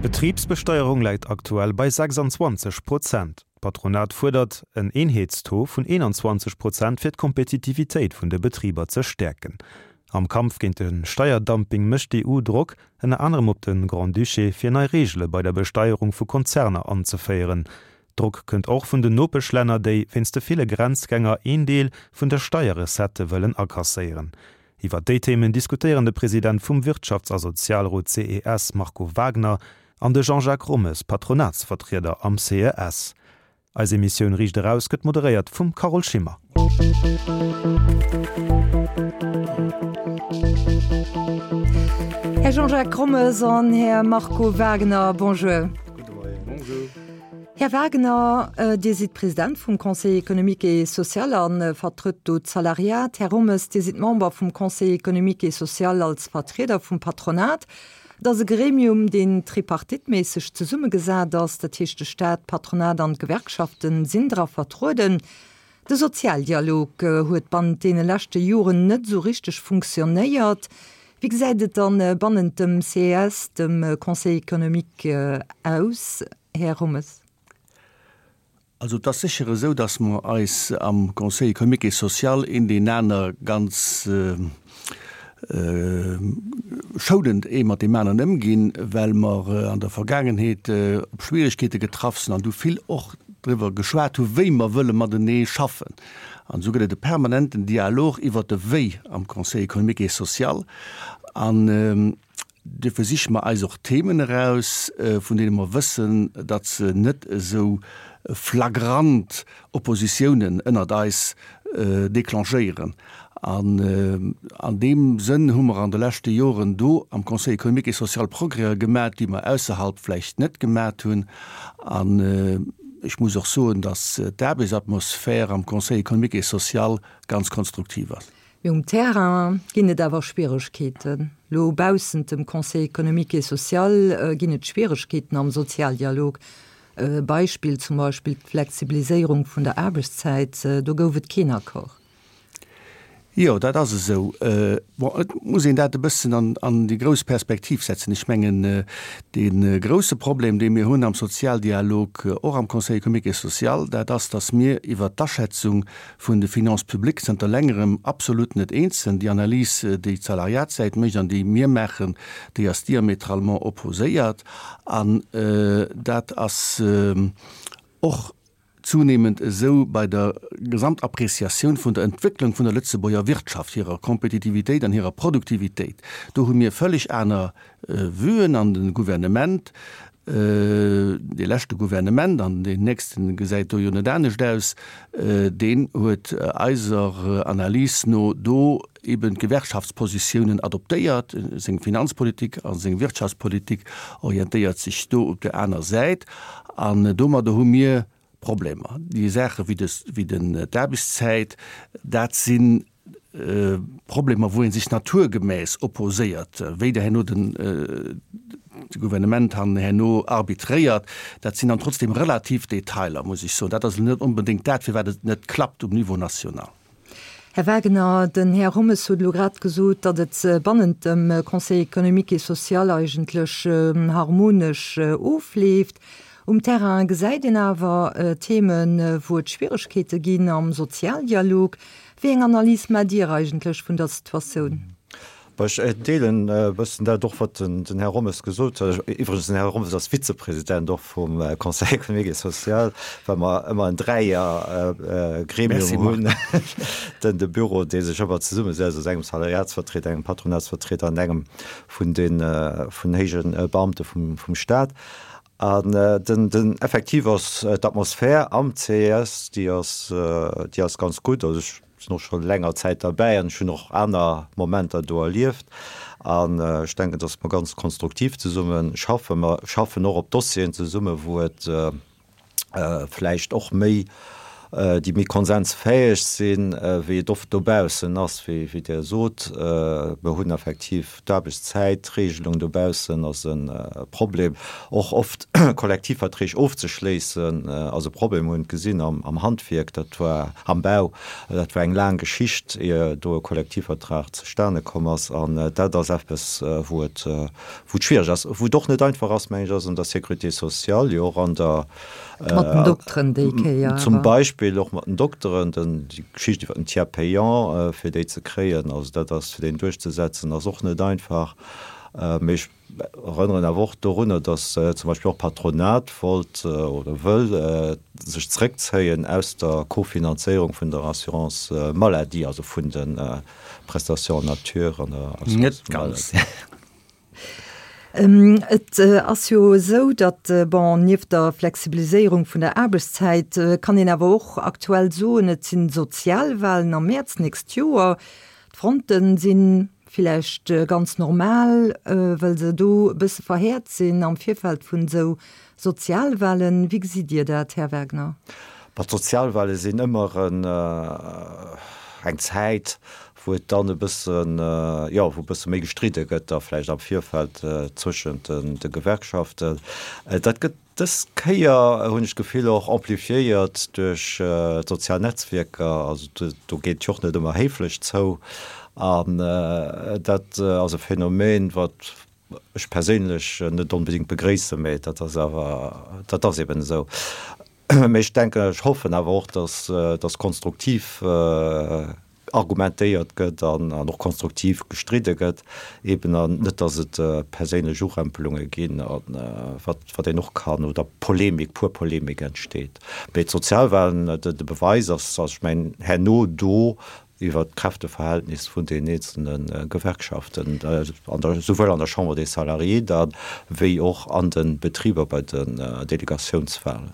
D'Betribsbesteierung läit aktuell bei 26 Prozent. D'Patronat fuerdert en Eenheetstaux vun 21 Prozent fir d'Kompetitivitéit vun de Betriber ze stäerken. Am Kampf géint de Steierdumping mécht d'EU Drock, ënner anerem op de Grand-Duché, fir nei Reegele bei der Besteierung vu Konzerner anzeféieren. Drock kënnt och vun den Nopeschlänner, déi wéinst de ville Grenzgänger een Deel vun de Steierrecettë wëllen akasséieren. Iwwer déi Themen diskutéieren de President vum Wirtschafts a Sozialrot CES Marco Wagner an de Jean-Jacques Rommes, Patronatsvertrieder am CES. Eis Emissioun Riicht Eraus gëtt moderéiert vum Carole Schimmer. Här Jean-Jacques Rommes an Här Marco Wagner, bonjour. Gudde Moien. Bonjour. Här Wagner, Dir sidd President vum Conseil économique et social a vertrëtt do d'Salariat. Här Rommes, Dir sidd Member vum Conseil économique et social als Vertrieder vum Patronat. Et ass e Gremium, deen tripartiteméisseg zesummegesat ass, dat heescht de Staat, d'Patronat an d'Gewerkschafte sinn dra vertrueden. De Sozialdialog huet bannent deene leschte Joren net esou richteg funktionéiert. Wéi gesäit et dann bannent dem CES, dem Conseil économique, aus, Här Rommes? Also et ass sécher esou, datt mer eis am Conseil économique et social een deen aner ganz schounend ee mat deem aneren ëmginn, well mer an der Vergaangenheet op Schwierigkeete getraff sinn an du vill och driwwer geschwat hu wéi mer wëlle matenee schaffen. An esou gëtt et e permanenten Dialog iwwert de Wéi am Conseil économique et social. An Duerfir siche mer eis och Themen eraus, vun deene mer wëssen, datt se net esou flagrant Oppositiounen ënnert eis déclenchéieren. An an deem Sënn hu mer an de leschte Joren do am Conseil économique et social Progrèse gemat, déi mer ausserhalb vläicht net gemat hunn. An ech muss och soen, datt d'Aarbechtsatmosphär am Conseil économique et social ganz konstruktiv ass. Mee um Terrain ginn et awer Schwieregkeeten. Lo baussent dem Conseil économique et social ginn et Schwieregkeeten am Sozialdialog. E Beispill zum Beispill d'Flexibiliséierung vun der Aarbechtszäit, do gouf et keen Accord. Jo, dat ass esou. Bon, et muss een dat e bëssen an déi grouss Perspektiv setzen. Ech mengen, dee grousse Problem, dee mir hunn am Sozialdialog, och am Conseil économique et social, dat ass, datt mir iwwert d'Aschätzung vun de Finances publiques zënter längerem absolut net eens sinn. Déi Analys, déi d'Salariatssäit mécht an déi mir maachen, déi ass diamétralement opposéiert. An dat ass och zunehmend esou bei der Gesamtappreciatioun vun der Entwécklung vun der Lëtzebuerger Wirtschaft, hirer Kompetitivitéit an hirer Produktivitéit. Do hu mir völlig aner Vuen an de Gouvernement, dee leschte Gouvernement, an deen nächste gesäit do jo net anescht aus, deen huet eiser Analys no do eben d'Gewerkschaftspositiounen adoptéiert. Seng Finanzpolitik a seng Wirtschaftspolitik orientéiert sech do op der aner Säit. An domadder hu mir Problemer. Déi Saache wéi d'Aarbechtszäit, dat si Problemer, wou ee sech naturgemäss opposéiert. Wéi der herno den Gouvernement dann herno arbitréiert, dat sinn dann trotzdem relativ Detailer, muss ech soen. Dat ass elo net onbedéngt dat, firwat et net klappt um Niveau national. Här Wagener, den Här Rommes huet elo grad gesot, datt et bannent dem Conseil économique et social eigentlech harmonesch ofleeft. Um Terrain gesäit een awer Themen, wou et Schwieregkeete ginn am Sozialdialog. Wéi eng Analys maacht Dir eigentlech vun der Situatioun? Bon, ech deelen e bëssen dat och, wat den Här Rommes gesot huet. Iwwregens, den Här Rommes ass Vizepresident och vum Conseil économique et social, well mer ëmmer en Dräiergremium hunn, den de Büro, dee sech ëmmer zesummesetzt aus engem Salariatsvertrieder, engem Patronatsvertrieder an engem vun den vun héije Beamte vum Stat. An den, den effektiv ass d'Atmosphär am CES, déi ass, déi ass ganz gutt. Also ech sinn och scho länger Zäit derbäi an ech hunn och aner Momenter do erlieft. An ech denken, datt mer ganz konstruktiv zesumme schaffen. Mer schaffen och op Dossieren zesumme wou et vläicht och méi. déi méi konsensfäeg sinn, wéi et oft dobaussen ass, wéi Dir sot. Mer hunn effektiv d'Aarbechtszäitregelung dobaussen ass e Problem. Och oft Kollektivverträg ofzeschléissen ass e Problem. Mer hunn et gesinn am Handwierk, dat war am Bau, dat war eng laang Geschicht, ier do e Kollektivvertrag zustane komm ass. An dat ass eppes, wou et wou et schwiereg ass, wou et och net einfach ass, meng ech, ass an der Sécurité sociale, jo och an der, Mat den Dokteren déi Kéier awer. Zum Beispill och mat den Dokteren, den, déi Geschicht iwwer den Tiers payant, fir déi ze kréien, also dat ass, fir deen duerchzesetzen, ass och net einfach. Mee ech erënneren awer och dorunner, datt zum Beispill och d'Patronat wollt oder wëll sech zréckzéien aus der Kofinanzéierung vun der Assurance maladie, also vun de Prestations en nature an der Assurance maladie. Et ass jo esou, datt, bon, nieft der Flexibiliséierung vun der Aarbechtszäit kann een awer och aktuell soen, et si Sozialwahlen am Mäerz d'nächst Joer. D'Fronte si villäicht ganz normal, well se do e bësse verhäert sinn am Virfeld vun esou Sozialwahlen. Wéi gesitt Dir dat, Här Wagner? Bon, d'Sozialwahle sinn ëmmer eng Zäit, wou et dann e bëssen, jo, wou e bësse méi gestridde gëtt da vläicht am Virfeld zwëschent de Gewerkschaften. Dat gëtt dës Kéier, hunn ech d'Gefill, och amplifiéiert duerch d'sozial Netzwierker. Also do geet et jo och net ëmmer héiflech zou. An dat ass e Phänomen, wat ech perséinlech net onbedéngt begréissen, mä dat ass awer, dat ass eben esou. Mä ech denken, ech hoffen awer och, dass, dass konstruktiv argumentéiert gëtt an och konstruktiv gestridde gëtt, eben an net, dass et perséinlech Urempelunge ginn a wat, wat een och kann, oder Polemik, pur Polemik entsteet. Mee d'Sozialwahlen, de Beweis ass, ass ech mengen, herno do iwwert d'Kräfteverhältnis vun den eenzelne Gewerkschaften, an der, souwuel an der Chambre des Salariés da wéi och an de Betriber bei den Delegatiounswahlen.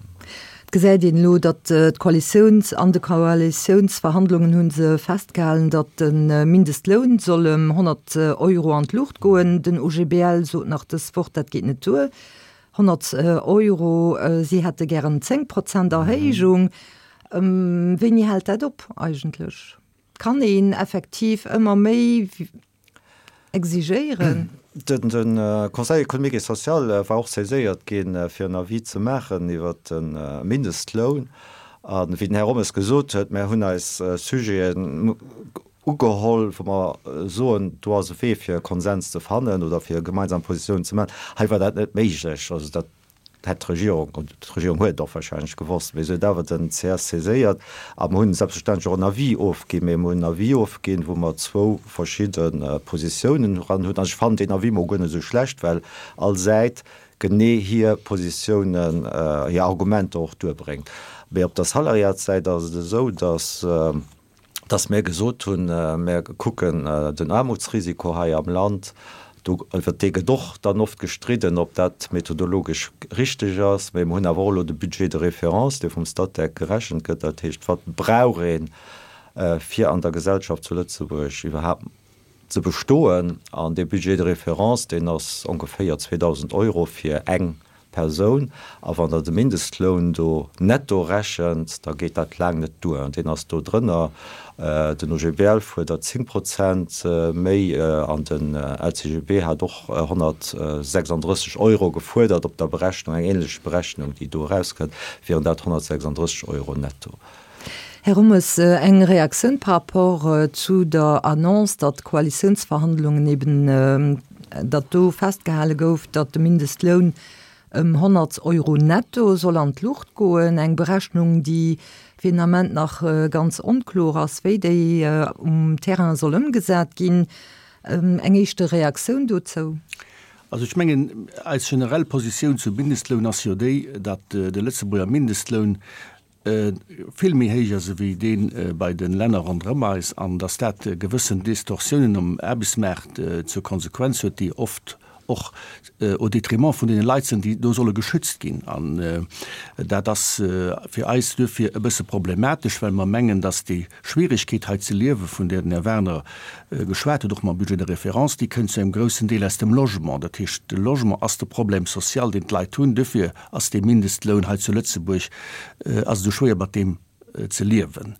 Et gesäit een elo, datt d'Koalitiouns, an de Koalitiounsverhandlungen hu se festgehalen, datt de Mindestloun soll ëm 100 Euro an d'Luucht goen. Den OGBL sot nach dës Woch, dat geet net duer, 100 Euro, si hätte gären 10 Prozent Erhéijung. Wéini hält dat op eigentlech? Kann een effektiv ëmmer méi exigéieren? De Conseil économique et social war och saiséiert ginn, fir en Avis ze maachen iwwert de Mindestloun. A wéi den Här Rommes gesot huet, mär hunn eis Sujeten ugeholl, wou mer soen, do ass e Wee fir e Konsens ze fannen oder fir gemeinsam Positiounen ze maachen. Hei war dat net méiglech. Also dat hätt d'Regierung, und d'Regierung huet et och wahrscheinlech gewosst, mee se huet awer den ces saiséiert a mer hunn selbstverständlech och en Avis ofginn, mee mer hunn en Avis ofginn, wou mer zwou verschidde Positiounen eran hunn. An ech fannen deen Avis mol guer net esou schlecht, well all Säit genee hir Positiounen, hir Argumenter och duerbréngt. Mee op der Salariatssäit ass et esou, dass, dass mir gesot hunn, mir kucken den Aarmutsrisiko hei am Land, do, iwwer dee gëtt och dann oft gestridden, ob dat methodologesch richteg ass, mä mir hunn awer och elo de Budget de référence, dee vum Statec gerechent gëtt, dat heescht, wat brauch een, fir an der Gesellschaft zu Lëtzebuerg iwwerhaapt ze bestoen. An dee Budget de référence, deen ass ongeféier 2.000 Euro fir eng Persoun. A wann Der de Mindestloun do netto rechent, da geet dat laang net duer. An deen ass do drënner. Den OGBL fuerdert 10 Prozent méi an den LCGB hat och 136 Euro gefuerdert op der Berechnung, eng änlech Berechnung, déi do erauskënnt, wieren dat 136 Euro netto. Här Rommes, eng Reaktioun par rapport zu der Annonce, datt d'Koalitiounsverhandlungen eben, datt do festgehale gouf, datt de Mindestloun ëm 100 Euro netto soll an d'Luucht goen. Eng Berechnung, déi fir den Ament nach ganz onkloer ass, wéi déi um Terrain soll ëmgesat ginn. Eng éischte Reaktioun dozou? Also ech mengen, eis generell Positioun zum Mindestloun ass jo déi, datt de Lëtzebuerger Mindestloun vill méi héich ass ewéi dee bei de Länner ronderëm eis an dass dat gewëssen Distorsiounen um Aarbechtsmaart zur Konsequenz huet, déi oft och au détriment vun deene Leit sinn, déi do solle geschützt ginn. An dat ass fir eis duerfir e bësse problematesch, well mer mengen, dass déi Schwierigkeet hei ze liewen, vun där den Här Werner geschwat huet, och mam Budget de référence, déi kënnt zu engem groussen Deel aus dem Logement. Dat heescht, de Logement ass de Problème social, deen d'Leit hunn. Duerfir Ass dee Mindestloun hei zu Lëtzebuerg, ass et esou schwéier mat deem. ze liewen.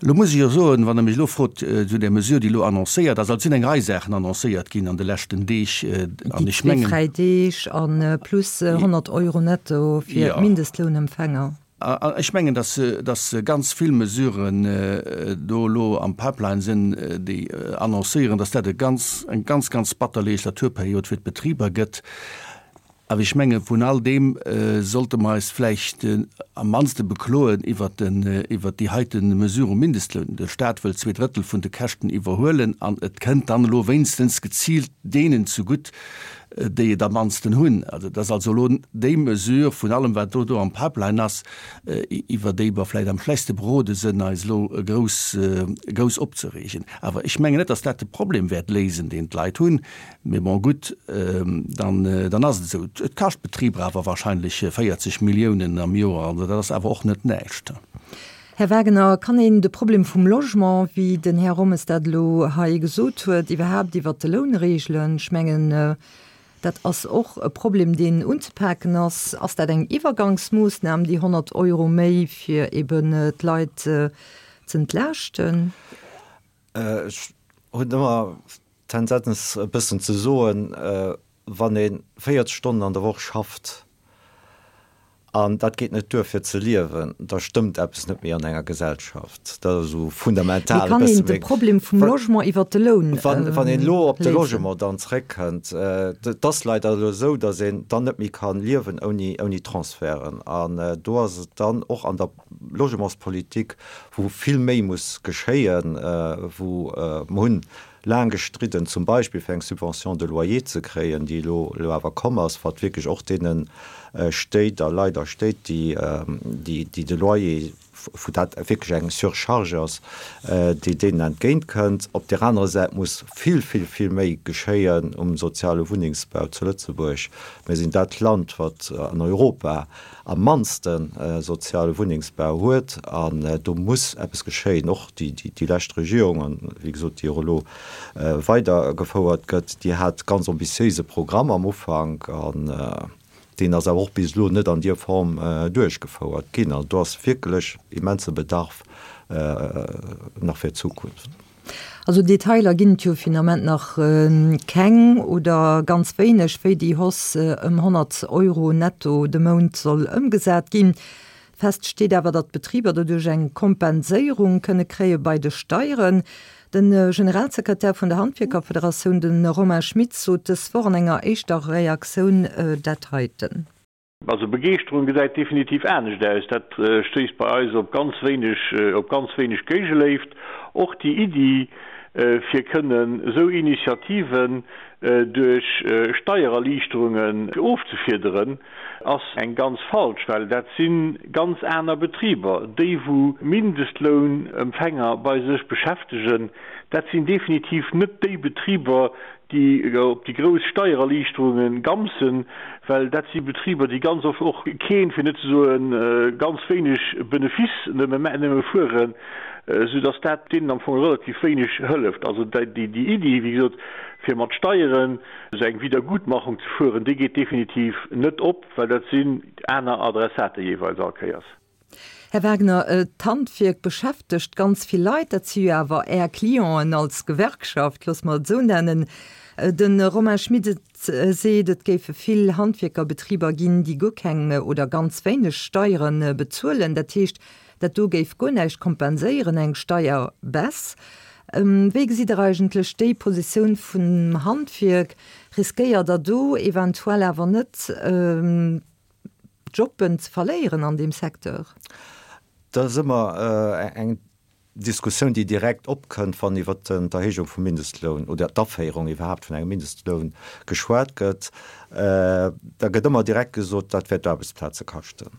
Elo muss ech jo soen, wann Der mech elo frot zu där Mesure, déi elo annoncéiert ass, also et sinn eng Rei Saachen annoncéiert ginn an de leschten Deeg, an Déi ech zwee mengen. fräi Deeg a plus 100 Euro netto fir d'Mindestlounempfänger. An ech mengen, dass, dass ganz vill Mesuren do elo am Pipeline sinn, déi annoncéieren, dass dat e ganz, eng ganz, ganz batter Legislaturperiod fir d'Betriber gëtt. Awer ech menge vun all deem sollte mer eis vläicht am mannste bekloen iwwert den, iwwert déi heite Mesure um Mindestloun. De Stat wëllt zweedrëttel vun de Käschten iwwerhuelen an et kënnt dann elo wéinstens geziilt deenen zegutt, déi et am mannsten hunn. Also et ass also elo déi Mesure vun allem, wat do do am Pipeline ass, iwwer déi mer vläicht am schlechtste berode sënn, eis elo grouss, grouss opzereegen. Awer ech mengen net, datt dat de Problem wäert léisen, deen d'Leit hunn. Mee bon, gutt, dann, dann ass et esou. Et kascht d'Betriber awer wahrscheinlech 40 Milliounen am Joer, also dat ass awer och net näischt. Här Wagener, kann een de Problem vum Logement, wéi den Här Rommes dat elo hei gesot huet, iwwerhaapt iwwert de Loun regelen? Ech mengen, dat ass och e Problem, deen unzepaken ass. Ass dat eng Iwwergangsmoossnam, déi 100 Euro méi, fir eben d'Leit z'entlaaschten? Ech hunn ëmmer d'Tendenz e bëssen ze soen, wann ee 40 Stonnen an der Woch schafft an dat geet net duer fir ze liewen, da stëmmt eppes net méi an enger Gesellschaft. Dat ass esou fundamental e bësse meng. Mee kann een de Problem vum Logement iwwert de Loun léisen? Wann een elo op de Logement dann zréckkënnt, et ass leider elo esou, datt een dann net méi ka liewen ouni Transferten. An do ass et dann och an der Logementspolitik, wou vill méi muss geschéien, wou mer hunn laang gestridden, zum Beispill fir eng Subvention de loyer ze kréien, déi elo elo awer komm ass, wat wierklech och deene Stéit a Leit a Stéit, déi déi de Loyer, wou dat wierklech eng Surcharge ass, déi deenen entgéint kënnt. Op där anerer Säit muss vill, vill, vill méi geschéien um soziale Wunnengsbau zu Lëtzebuerg. Mir sinn dat Land, wat an Europa am mannste soziale Wunnengsbau huet an do muss eppes geschéien. Och déi lescht Regierung, an wéi gesot déi och elo weidergefouert gëtt, déi hat ganz ambitiéise Programm am Ufank an deen ass awer och bis elo net an dier Form duerchgefouert ginn. Also do ass wierklech immense Bedarf nach fir d'Zukunft. Also Detailer ginn et jo fir den Ament nach keng oder ganz wéineg, wéi déi Hausse ëm 100 Euro netto de Mount soll ëmgesat ginn. Fest steet awer, datt d'Betriber doduerch eng Kompenséierung kënne kréie bei de Steieren. De Generalsekretär vun der Handwierkerfederatioun, de Romain Schmitz, sot dës Woch an enger éischter Reaktioun dat heiten. Also Begeeschterung gesäit definitiv anescht aus. Dat stéisst bei eis op ganz wéineg, op ganz wéineg Géigeléift. Och déi Iddi, fir kënnen esou Initiativen duerch Steiererliichterungen ofzefiederen, ass eng ganz falsch, well dat si ganz aner Betriber. Déi wou Mindestlounempfänger bei sech beschäftegen, dat sinn definitiv net déi Betriber, déi op déi grouss Steiererliichterunge gamsen, well dat si Betriber, déi ganz oft och keen, fir net ze soe ganz wéineg Benefice nëmme fueren, soudass dat deenen am Fong relativ wéineg hëlleft. Also déi Iddi, wéi gesot, fir mat Steieren esou eng Wiedergutmachung ze fueren, déi geet definitiv net op, well dat sinn aner Adressate jeeweils all Kéiers. Här Wagner, d'Handwierk beschäftegt ganz vill Leit. Dat si jo awer Är Clienten als Gewerkschaft, loosse mer et esou nennen. De Romain Schmit seet, et géife vill Handwierkerbetriber ginn, déi guer keng oder ganz wéineg Steiere bezuelen. Dat heescht, dat do géif guer näischt kompenséieren, eng Steierbaisse. Wéi gesitt Der eigentlech déi Positioun vum Handwierk? Riskéiert Der do eventuell awer net, Jobben ze verléieren an deem Secteur? Dat ass ëmmer eng Diskussioun, déi direkt opkënnt, wann iwwer d'Erhéijung vum Mindestloun oder d'Aféierung iwwerhaapt vun engem Mindestloun geschwat gëtt. Da gëtt ëmmer direkt gesot, dat wäert Aarbechtsplaze kaschten.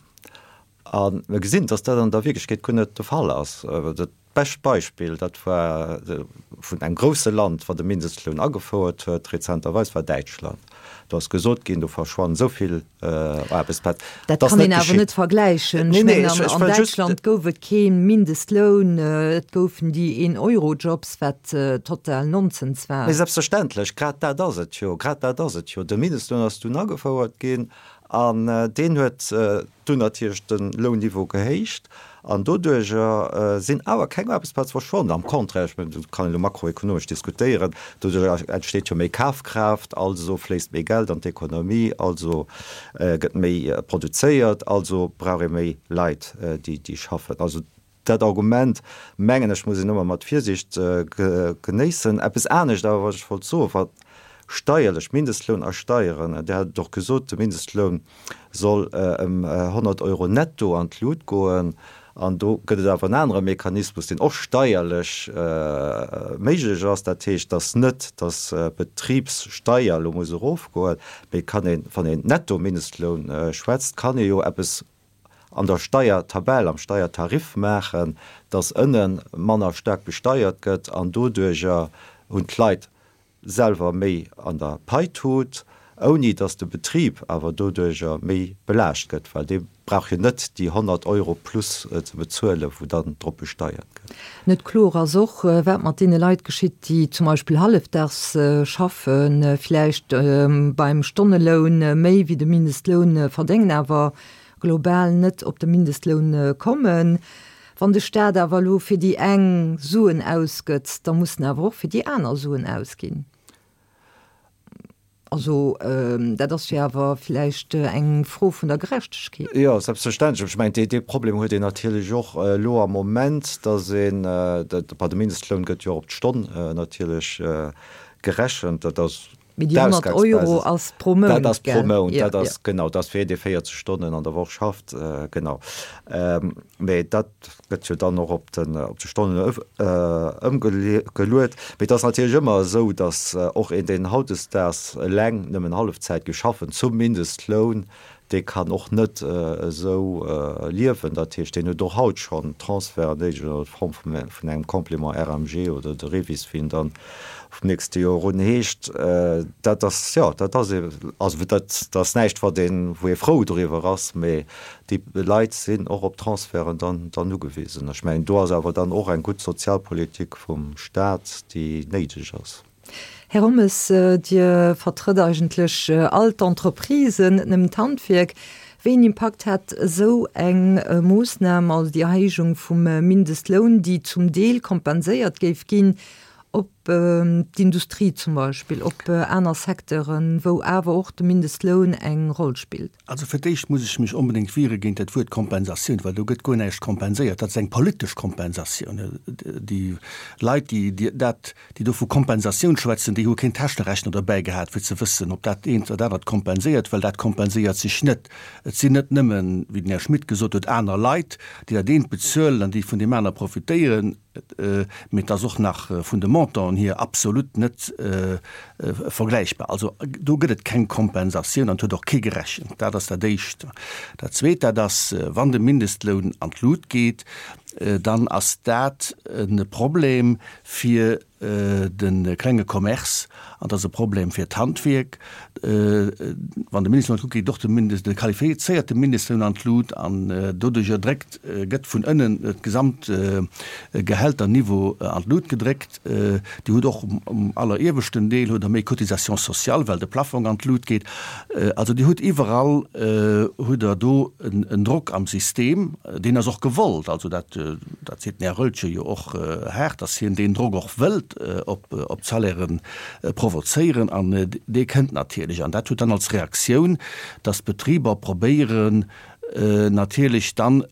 A mir gesinn, dass dat an der Wierklechkeet guer net de Fall ass. Dat bescht Beispill, dat war vun engem grousse Land, wat e Mindestloun agefouert huet rezenterweis, war Däitschland. Do ass gesot ginn, do verschwannen esou vill Aarbechtsplazen. Dat kann een awer net vergläichen. Ech mengen, an Däitschland gouf et kee Mindestloun, et goufen déi Een-Euro-Jobs, wat total Nonsens war. Mee selbstverständlech, grad dat ass et jo, grad dat ass et jo. De Mindestloun ass dunn agefouert ginn. An deen huet dunn natierlech de Lounniveau gehéicht an doduerjer sinn awer keng Aarbechtsplaze verschwonnen. Am Contraire, ech mengen, do kann een elo makroekonomesch diskutéieren, doduerjer entsteet jo méi Kafkraaft, also fléisst méi Geld an d'Ekonomie, also gëtt méi produzéiert, also brauch ee méi Leit, déi schaffen. Also Dat Argument, mengen ech, muss een ëmmer mat Virsiicht genéissen. Eppes anescht awer, wat ech wollt soen, wat steierlech, Mindestloun a Steieren, Dir hat et och gesot, de Mindestloun soll ëm 100 Euro netto an d'Lut goen. An do gëtt et awer en anere Mechanismus, deen och steierlech méiglech ass. Dat heescht, dass net, dass d'Betribssteier elo muss erofgoen, mee kann een, wann een Netto-Mindestloun schwätzt, kann ee jo eppes an der Steiertabell, am Steiertarif maachen, dass ënne manner staark besteiert gëtt an doduerjer hunn d'Leit selwer méi an der Paitut, ouni dass de Betrib awer doduerjer méi belaascht gëtt, well dee brauch jo net déi 100 Euro plus ze bezuelen, wou dann drop besteiert gëtt. Net kloer ass och, wat mat deene Leit geschitt, déi zum Beispill hallefdaags schaffen, vläicht beim Stonneloun méi wéi de Mindestloun verdéngen, awer global net op de Mindestloun kommen. Wann de Staat awer elo fir déi eng Suen ausgëtt, da muss en awer och fir déi aner Suen ausginn. Also dat ass jo awer vläicht eng Fro vun der Gerechtegkeet. Jo, selbstverständlech. Ech mengen, dee Problem huet een natierlech och elo am Moment, datt een, bon, de Mindestloun gëtt jo och op d'Stonn natierlech gerechent. Dat ass Mee déi 100 Euro ass pro Mount, gell? Dat ass pro Mount, dat ass, genau, dat ass fir een, dee 40 Stonnen an der Woch schafft, genau. Mee dat gëtt jo dann och op de Stonnen ëmgeluet. Mee et ass natierlech ëmmer esou, datt och een, deen hautdesdaags eleng nëmmen Hallefzäit géif schaffen, zum Mindestloun, dee kann och net esou liewen. Dat heescht, deen huet och haut schonn Transferten néideg an der Form vun engem Complément RMG oder de REVIS, wéi en dann vum nächste Joer un heescht. Dat ass, jo, dat ass ee, also dat ass näischt, wat een, wou ee frou doriwwer ass, mee déi Leit sinn och op Transferten dann, dann ugewisen. Ech mengen, do ass awer dann och eng gutt Sozialpolitik vum Staat, déi néideg ass. Här Hommes, Dir vertrëtt eigentlech all d'Entreprisen, net nëmmen d'Handwierk. Wéi een Impakt hätt esou eng Moossnam, also déi Erhéijung vum Mindestloun, déi zum Deel kompenséiert géif ginn, op d'Industrie zum Beispill, op aner Secteuren, wou awer och de Mindestloun eng Roll spillt? Also fir d'éischt muss ech mech onbedéngt wiere géint dat Wuert Kompensatioun, well do gëtt guer näischt kompenséiert. Dat ass eng politesch Kompensatioun. Déi Leit, déi dat, déi do vu Kompensatioun schwätzen, déi hu keen Täschenrechner dobäi gehat, fir ze wëssen, ob dat eent oder dat anert kompenséiert, well dat kompenséiert sech net. Et sinn net nëmmen, wéi den Här Schmit gesot huet, aner Leit, déi dat eent bezuelen an déi vun deem aner profitéieren, mee et ass och nach vun de Montanten hier absolut net vergläichbar. Also do gëtt et keng Kompensatioun an et huet och kee gerechent. Dat ass dat Éischt. Dat Zweet, dat ass, wann de Mindestloun an d'Lut geet, dann ass dat e Problem fir de klenge Commerce an dat ass e Problem fir d'Handwierk. Wann de Mindestloun an d'Lut geet, geet och de Mindest, de qualifizéierte Mindestloun an d'Lut an doduerjer dréckt, gëtt vun ënnen d'gesamt Gehälterniveau an d'Lut gedréckt. Dir hutt och um allerieweschten Deel hutt Der méi Cotisations sociales, well de Plafong an d'Lut geet. Also Dir hutt iwwerall hutt Der do en Drock am System, deen ass och gewollt. Also dat, dat seet den Här Roeltgen jo och haart, datt hien deen Drock och wëllt op d'Salairen provozéieren. An dee kënnt natierlech. An dat huet dann als Reaktioun, datt d'Betriber probéieren, natierlech dann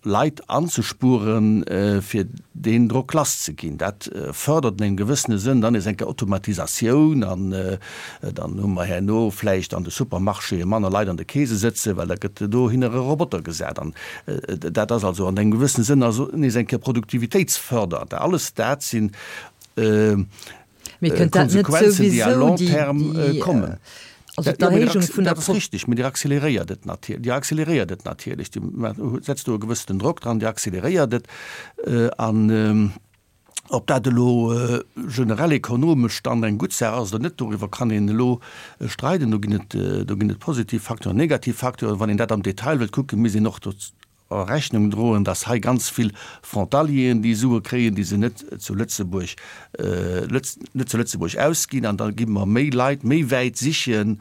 Leit anzespueren, fir deen Drock lass ze ginn. Dat fördert an engem gewëssene Sënn dann nees eng Kéier Automatisatioun an dann hu mer herno vläicht an de Supermarchéë manner Leit an de Keese sëtzen, well da gëtt dohinner e Roboter gesat. An dat ass also an engem gewëssene Sënn also nees eng Kéier produktivitéitsfördernd. Alles dat sinn Mee kënnt dat net Konsequenzen, déi à souwisou long déi, terme déi, kommen. also Ja, mee d'Erhéijung vun der dat ass Pro. richtig, mee Dir accéléréiert et natierlech, Dir accéléréiert et natierlech, Dir setzt do e gewëssenen Drock dran, Dir accéléréiert et. An ob dat elo generell ekonomesch dann eng gutt Saach ass oder net, doriwwer kann een elo streiden. Do ginn et, do ginn et positiv Facteuren, negativ Facteuren. Wann een dat am Detail wëllt kucken, misst een och do Rechnung droen, dass hei ganz vill Frontalieren déi Sue kréien, déi se net zu Lëtzebuerg, net zu Lëtzebuerg ausginn. An da gi mer méi Leit méi wäit sichen.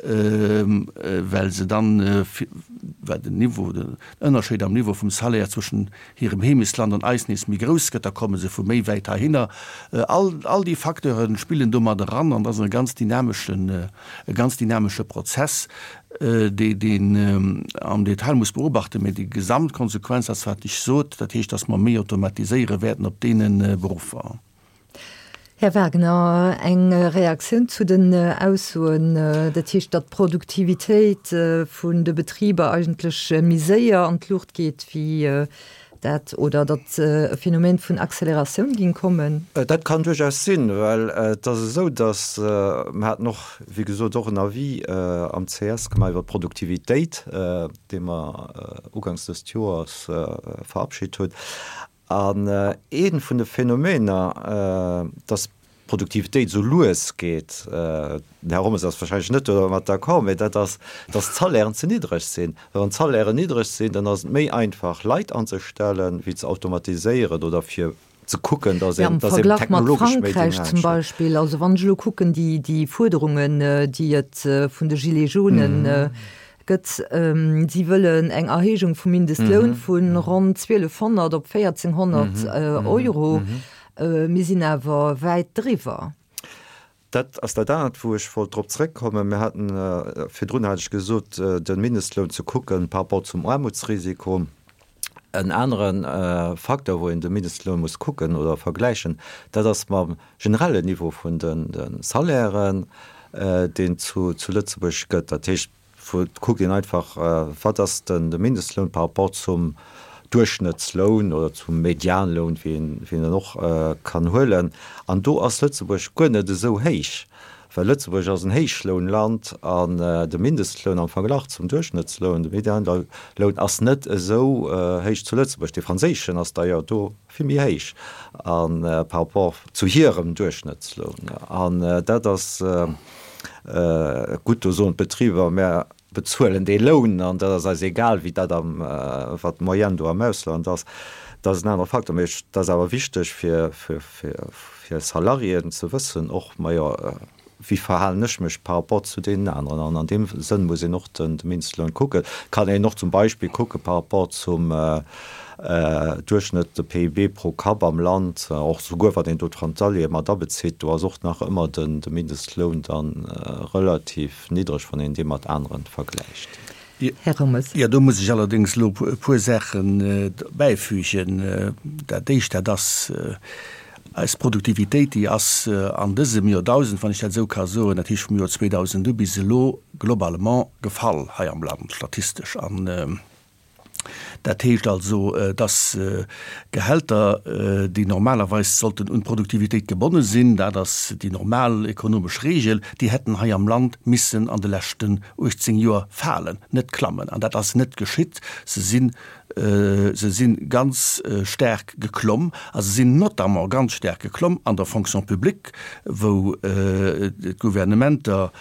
Well se dann, well den Niveau, den Ënnerscheed am Niveau vum Salaire zwëschen hirem Heemechtsland an eis nees méi grouss gëtt, da komme se vu méi wäit heihinner. All, all déi Facteure spillen do mat eran an dat ass e ganz dynameschen, e ganz dynamesche Prozess, dee, deen am Detail muss beobachten. Mä déi Gesamtkonsequenz ass, wat ech sot, dat heescht, dass mer méi automatiséiere wäerten op deene Beruffer. Här Wagner, eng Reaktioun zu den Aussoen, dat heescht, datt d'Produktivitéit vun de Betriber eigentlech méi séier an d'Luucht geet wéi dat, oder datt e Phänomen vun Acceleratioun géing kommen? Dat kann duerchaus sinn, well et ass esou, datt, mer haten och, wéi gesot, och en Avis am ces gemaach iwwer d'Produktivitéit, dee mer uganks dëst Joers verabschit hunn, An ee vun de Phänomener, dass d'Produktivitéit esou lues geet, den Här Rommes ass wahrscheinlech net domat d'accord, mä dat ass, dass d'Salairen ze niddreg sinn. Well wann d'Salairen niddreg sinn, dann ass et méi einfach Leit anzestellen, wéi ze automatiséieren oder fir ze kucken, dass een, dass een technologesch méi dynamisch. Am Verglach mat Frankräich zum Beispill, also wann ech elo kucken, déi Fuerderungen, déi et vun de Gilets jaunes Gëtt. Si wëllen eng Erhéijung vum Mindestloun vu ronn 1.200 op 1.400 Euro. Mir sinn awer wäit driwwer. Dat ass dat anert, wou ech wollt drop zrëckkommen. Mir haten, virdrun hat ech gesot, de Mindestloun ze kucken par rapport zum Aarmutsrisiko. En anere Facteur, wou een de Mindestloun muss kucken oder vergläichen, dat ass mam generellen Niveau vun de Salairen, deen zu Lëtzebuerg gëtt. Dat heescht, et kuckt een einfach, wat ass de Mindestloun par rapport zum Duerchschnëttsloun oder zum Medianloun, wéi een en och kann huelen. An do ass Lëtzebuerg guer net esou héich. Well Lëtzebuerg ass en Héichlounland an de Mindestloun am Verglach zum Duerchschnëttsloun, de Medianloun, ass net esou héich zu Lëtzebuerg. Dee franséischen ass d'ailleurs do vill méi héich a par rapport zu hirem Duerchschnëttsloun. An dat ass gutt, do soen d'Betriber, mä bezuelen dee Loun an dat ass eis egal, wéi dat am, wat d'Moyenne do am Ausland ass. Dat ass en anere Faktor. Mee et ass awer wichteg fir, fir, fir Salariéen ze wëssen och, majo, wéi verhalen ech mech par rapport zu deenen aneren. An an deem Sënn muss een och den, de Mindestloun kucken. Kann een och zum Beispill kucke par rapport zum Duerchschnëtt, de PIB pro Kapp am Land, och souguer wann een do d'Frontaliere mat abezitt, do ass och nach ëmmer den, de Mindestloun dann relativ niddreg, wann een dee mat aneren vergläicht. Här Rommes. Jo, do muss ech allerdéngs elo e puer Saachen bäifügen. Dat Éischt, dat ass eis Produktivitéit, déi ass an dësem Joerdausend, wann ech dat esou ka soen, dat heescht vum Joer 2000 u bis elo, globalement gefall hei am Land, statistesch. An Dat heescht also, dass Gehälter, déi normalerweis sollten un d'Produktivitéit gebonne sinn, dat ass déi normal ekonomesch Regel, déi hätten hei am Land missen an de leschten 18 Joer falen, net klammen. An dat ass net geschitt. Se sinn, se si ganz staark geklomm a se sinn notamment ganz staark geklomm an der Fonction publique, wou d'Gouvernementer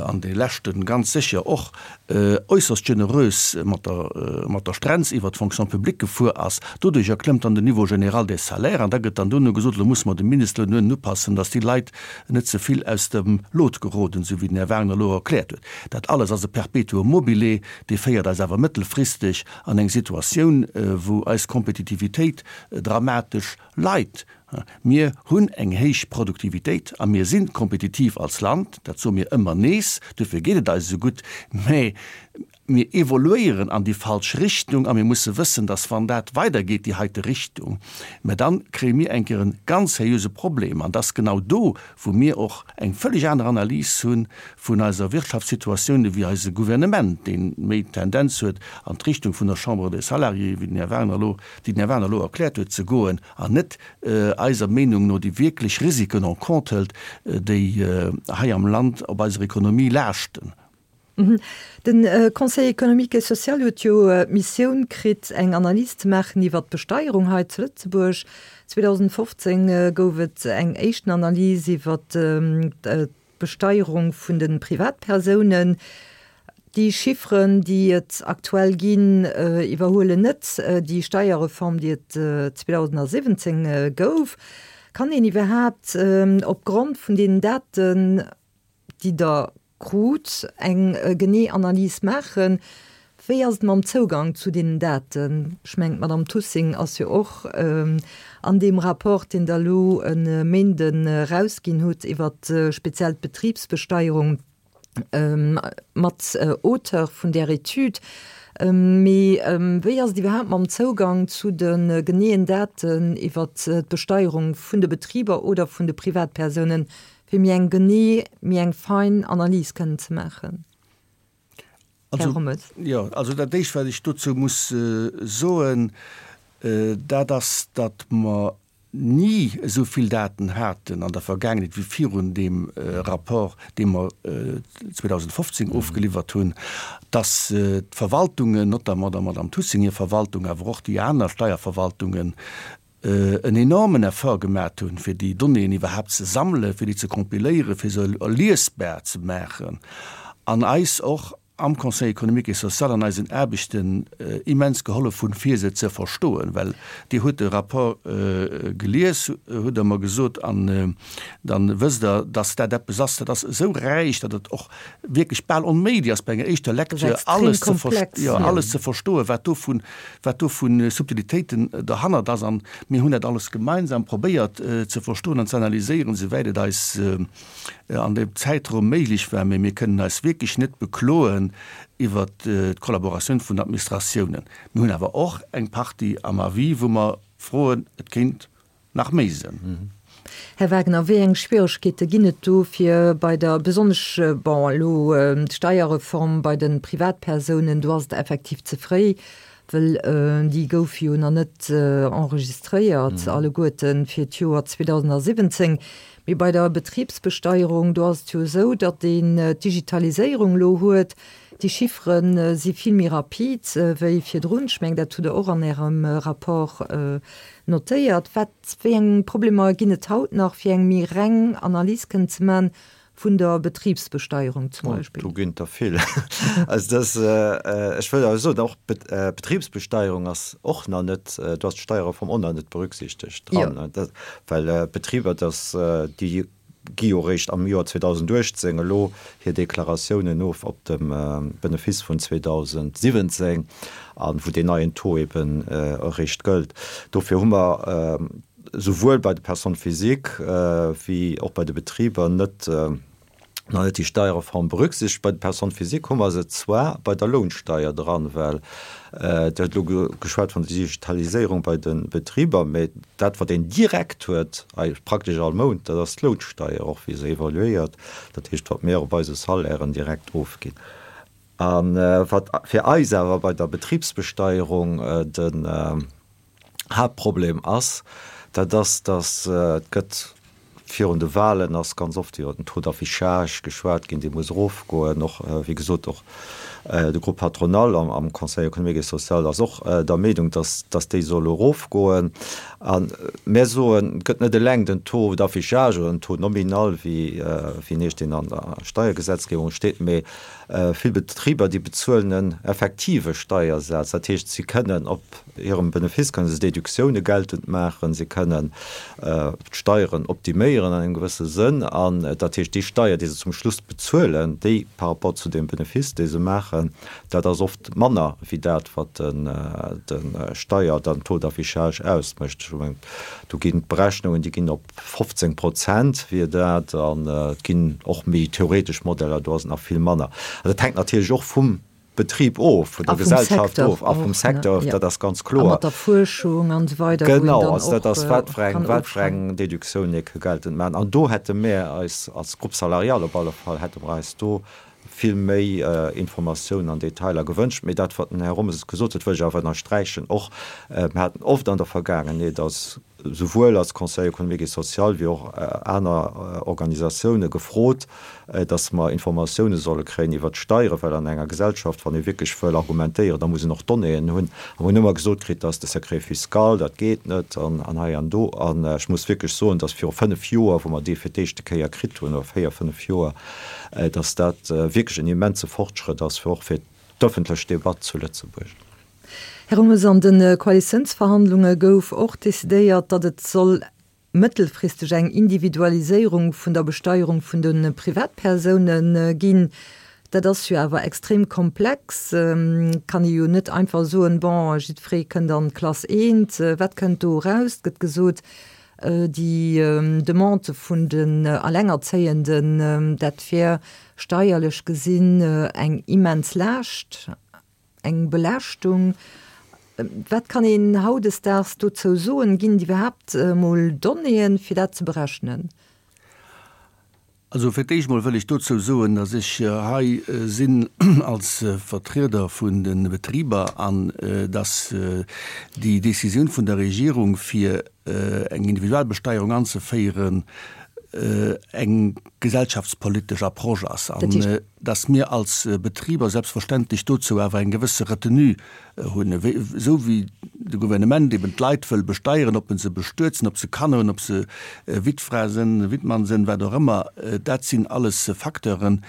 an de leschte ganz sécher och äusserst generös mat der mat der Strenz iwwert d'Fonction publique gefuer ass. Doduercher klëmmt dann den Niveau général des salaires an da gëtt dann duerno gesot, elo musse mer de Mindestloun duerno upassen, datt déi Leit net ze vill aus dem Lot geroden, esou wéi den Här Wagner elo erkläert huet. Dat alles ass e Perpetuum mobile, dee féiert eis awer mëttelfristeg an eng Situatioun, wou eis Kompetitivitéit dramatesch leit. Mir hunn eng héich Produktivitéit a mir si kompetitiv als Land, dat soe mir ëmmer nees, dofir geet et eis esou gutt, mä mir evoluéieren an déi falsch Richtung a mir musse wëssen, datt wann dat weidergeet, déi heite Richtung, mä da kréie mir eng Kéier e ganz seriöse Problem. An et ass genau do, wou mir och eng vëlleg aner Analys hu vun eiser Wirtschaftssituatioun ewéi eise Gouvernement, dee méi d'Tendenz huet an d'Richtung vun der Chambre des Salariés, wéi den Här Wagner elo, déi den Här Wagner elo erkläert huet, ze goen an net eiser Meenung no déi wierklech Risiken en compte hëlt, déi hei am Land op eiser Ekonomie laaschten. De Conseil économique et social huet jo d'Missioun kritt, eng Analys ze maachen iwwert d'Besteierung hei zu Lëtzebuerg. 2015 gouf et eng éischten Analys iwwert d'Besteierung vun de Privatpersounen. Déi Chifferen, déi et aktuell ginn, iwwerhuelen net déi Steierreform, déi et 2017 gouf. Kann een iwwerhaapt opgrond vun deenen Daten, déi Der. krut, eng genee Analys maachen. Wéi ass et mam Zougang zu deenen Daten? Ech mengen, d'Madame Tussing ass jo och an deem Rapport, deen Der elo e Méinden erausginn hutt iwwert speziell d'Betribsbesteierung, mat Auteur vun där Etüd. Mee wéi ass et iwwerhaapt mam Zougang zu de geneeën Daten iwwert d'Besteierung vun de Betriber oder vun de Privatpersounen, fir méi eng genee, méi eng fein Analys kënnen ze maachen? Här Rommes. Jo, also dat Éischt, wat ech dozou muss soen, dat ass, datt mer ni esou vill Daten haten an der Vergaangenheet wéi virun deem Rapport, dee mer 2015 ofgeliwwert hunn, dass d'Verwaltungen, notamment der Madame Tussing hir Verwaltung, awer och déi aner Steierverwaltungen, en enormen Effort gemat hunn, fir déi Donnéeën iwwerhaapt ze sammelen, fir déi ze kompiléieren, fir se liesbar ze maachen an eis och am Conseil économique et social an eisen Aarbechten immens gehollef hunn, fir se ze verstoen. Well Dir hutt de Rapport gelies, hutt Der mer gesot, an da wësst Der, dass dat eppes ass, dat ass esou räich, datt et och wierklech bal onméiglech ass, bei enger éischter Lecture alles ze, jo, alles ze verstoen, wat do vu, wat do vu Subtilitéiten derhannert ass. An mir hunn dat alles gemeinsam probéiert ze verstoen an ze analyséieren, souwäit et eis an deem Zäitraum méiglech war, mee mir kënnen eis wierklech net bekloen iwwert d'Kollaboratioun vun den Administratiounen. Mir hunn awer och eng Partie am Avis, wou mer froen, et kéint nach méi sinn. Här Wagner, wéi eng Schwieregkeete ginn et do fir bei der, besonnesch, bon, elo d'Steierreform bei de Privatpersounen, do ass et effektiv ze fréi, well déi goufe jo nach net enregistréiert alleguerten fir d'Joer 2017. Mee bei der Betribsbesteierung, do ass et jo esou, datt een d'Digitaliséierung elo huet. Déi Chiffere si vill méi rapid wéi virdrun. Ech mengen, dat hutt Der och an Ärem Rapport notéiert. Wat, wéi eng Problemer ginn et haut nach, fir eng méi reng Analys kënnen ze maachen vun der Betribsbesteierung zum Beispill? Do ginn et der vill. Also dass, ech wëll awer soen, och d'Betribsbesteierung ass och nach net, do ass d'Steierreform och nach net berücksichtegt dran, well d'Betriber, dass déi gi jo eréischt am Joer 2018 elo hir Deklaratiounen of op dem Benefiss vun 2017, a wou deen neien Taux eben eréischt gëllt. Dofir hu mer souwuel bei de Personnes physiques wéi och bei de Betriber net nach net déi Steierreform berücksichtegt. Bei de Personnes physiques hu mer se zwar bei der Lounsteier dran, well Dir hutt elo geschwat vun der Digitaliséierung bei de Betriber, mä dat wat een direkt huet, praktesch all Mount, dat ass d'Lounsteier, och wéi se evoluéiert, dat heescht wat mir op eise Salairen direkt ofginn. A wat fir eis awer bei der Betribsbesteierung den Haaptproblem ass, dat ass, datt et gëtt virun de Wahlen ass ganz oft iwwer den Taux d'affichage geschwat ginn, dee muss erofgoen. Och, wéi gesot, och de Groupe patronal am Conseil économique et social ass och der Meenung, datt, datt déi soll erofgoen. A mär soen, et gëtt net eleng den Taux d'affichage oder den Taux nominal, wéi, wéi en heescht, deen an der Steiergesetzgebung steet, mee Vill Betriber, déi bezuelen en effektive Steiersaz, dat heescht, si kënnen op hirem Benefice kënne se Deduktioune geltend maachen, si kënnen d'Steieren optiméieren an engem gewësse Sënn. An dat heescht, déi Steier, déi se zum Schluss bezuelen, déi par rapport zu deem Benefice, dee se maachen, dat ass oft manner wéi dat, wat de Steier, den Taux d'affichage ausmécht. Ech mengen, do ginn d'Berechnungen, déi ginn op 15 Prozent wier dat, an et ginn och méi theoretesch Modeller, do ass et nach vill manner. Also dat hänkt natierlech och vum Betrib of, vun der Gesellschaft of a vum Secteur of, dat ass ganz kloer. A mat der Fuerschung an esou weider, wou een dann och kann ofschreiwen. Genau, also dat ass, wat fir eng, wat fir eng Deduktioun ee ka geltend maachen. An do hätte mir eis als Groupe salarial op alle Fall, hätte mer eis do vill méi Informatiounen an Detailer gewënscht. Mee dat, wat den Här Rommes gesot huet, wëll ech awer ënnersträichen och. Mir haten oft an der Vergaangenheet als souwuel als Conseil économique et social wéi och aner Organisatioune gefrot, datt mer Informatioune solle kréien iwwert d'Steieren, well an enger Gesellschaft, wann ee wierklech wëll argumentéieren, da muss een och Donnéeën hunn. A mer hunn ëmmer gesot kritt, dat ass de Secret fiscal, dat geet net an hei an do. An ech muss wierklech soen, datt viru fënnf Joer, wou mer dee fir d'éischte Kéier kritt hunn, oder véier, fënnf Joer, datt dat wierklech en immense Fortschrëtt ass, fir och fir d'ëffentlech Debatt zu Lëtzebuerg. Här Hummes, an de Koalitiounsverhandlunge gouf och decidéiert, datt et soll. mëttelfristeg eng Individualiséierung vun der Besteierung vun de Privatpersoune ginn. Dat ass jo awer extrem komplex. Kann ee jo net einfach soen, bon, jiddweree kënnt an d'Klass eent. Wat kënnt do eraus? Et gëtt gesot, déi Demande vun den Allengerzéienden, dat wär steierlech gesinn eng immens Laascht. Eng Belaaschtung. Wat kann een hautdesdaags dozou soen? Ginn et iwwerhaapt emol Donnéeën, fir dat ze berechnen? Also fir d'éischt emol wëll ech dozou soen, datt ech hei sinn als Vertrieder vun de Betriber an datt déi Décisioun vun der Regierung, fir eng Individualbesteierung anzeféieren, eng gesellschaftspolitesch Approche ass. Dass mir als Betriber selbstverständlech dozou awer eng gewësse Retenue hunn, esou wéi de Gouvernement eben d'Leit wëll besteieren, ob en se bestuet sinn, ob se Kanner hunn, ob se Wittfra sinn, Wittmann sinn, wat och ëmmer, dat sinn alles Facteuren,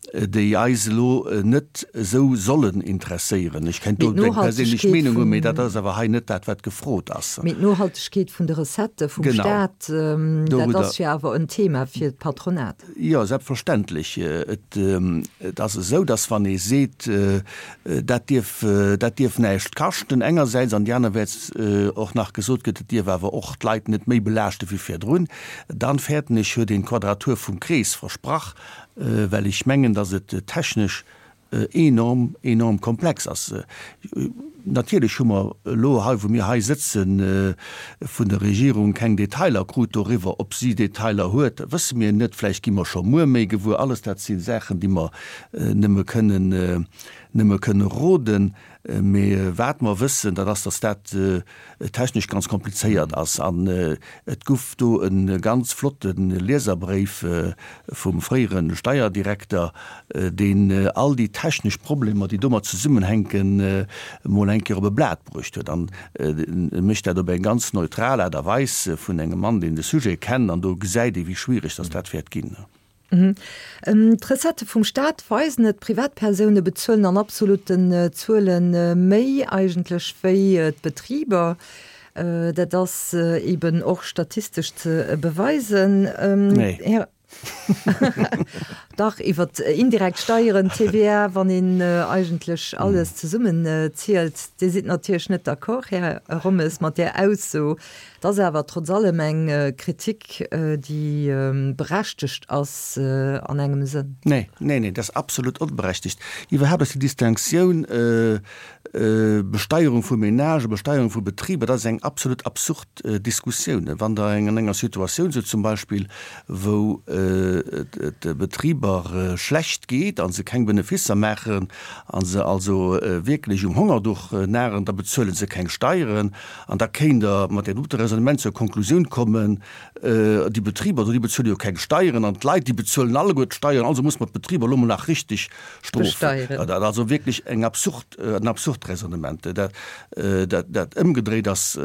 déi eis elo net esou sollen interesséieren. Ech kéint do eng perséinlech Meenung hunn, mee dat ass awer hei net dat, wat gefrot ass. Mee d'Nohaltegkeet vun de Recettë vum Staat, dat ass jo awer en Thema fir d'Patronat. Jo, selbstverständlech. Et ass esou, datt wann ee seet, dat dierf, dat dierf näischt kaschten engersäits, an déi anerwäerts och nach gesot gëtt, et dierf awer och d'Leit net méi belaaschte wéi virdrun, dann fäerten ech, huet een d'Quadratur vum Krees versprach, well ech mengen, datt et technesch enorm, enorm komplex ass. Natierlech hu mer elo hei, wou mir hei sëtzen, vun der Regierung keng Detailer krut doriwwer. Ob si Detailer huet, wësse mir net. Vläicht gi mer scho muer méi gewuer. Alles dat si Saachen, déi mer nëmme kënnen, nëmme kënne roden. Mee wat mer wëssen, dat ass, datt dat technesch ganz komplizéiert ass. An et guff do e ganz flotte Lieserbréif vum fréiere Steierdirekter, deen all déi technesch Problemer, déi domat zesummenhänken, emol eng Kéier op e Blat bruecht huet. An e mécht dat op eng ganz neutral Aart a Weis vun engem Mann, deen de Sujet kennt. An do gesäit ee wéi schwiereg datt dat wäert ginn. D'Recettë vum Staat weisen et, Privatpersoune bezuelen an absolutten Zuele méi eigentlech wéi d'Betriber. Dat ass eben och statistesch ze beweisen. Nee. Dach, iwwer indirekt Steieren, TVA, wann een eigentlech alles zesummen zielt. Dir sidd natierlech net d'accord, Här Rommes, mat där Ausso. Et ass awer trotz allem eng Kritik, déi berechtegt ass an engem Sënn. Nee, nee, nee, dat ass absolut onberechtegt. Iwwerhaapt ass déi Distinctioun Besteierung vu Ménagen, Besteierung vu Betriber, dat ass eng absolut absurd Diskussioun. Wann Der an enger Situatioun sidd zum Beispill, wou et de Betriber schlecht geet a se keng Benefisser maachen a se also wierklech um Hongerduch naren, da bezuele se keng Steieren. An da kéint Der mat deem dote Raisonnement zur Konklusioun kommen, déi Betriber do, déi bezuele jo keng Steieren an d'Leit, déi bezuelen alleguer d'Steieren, also muss mer d'Betriber elo mol nach richteg strofen. Dat ass also wierklech eng absurd, en absurd Raisonnement. Dat, dat ëmgedréit ass,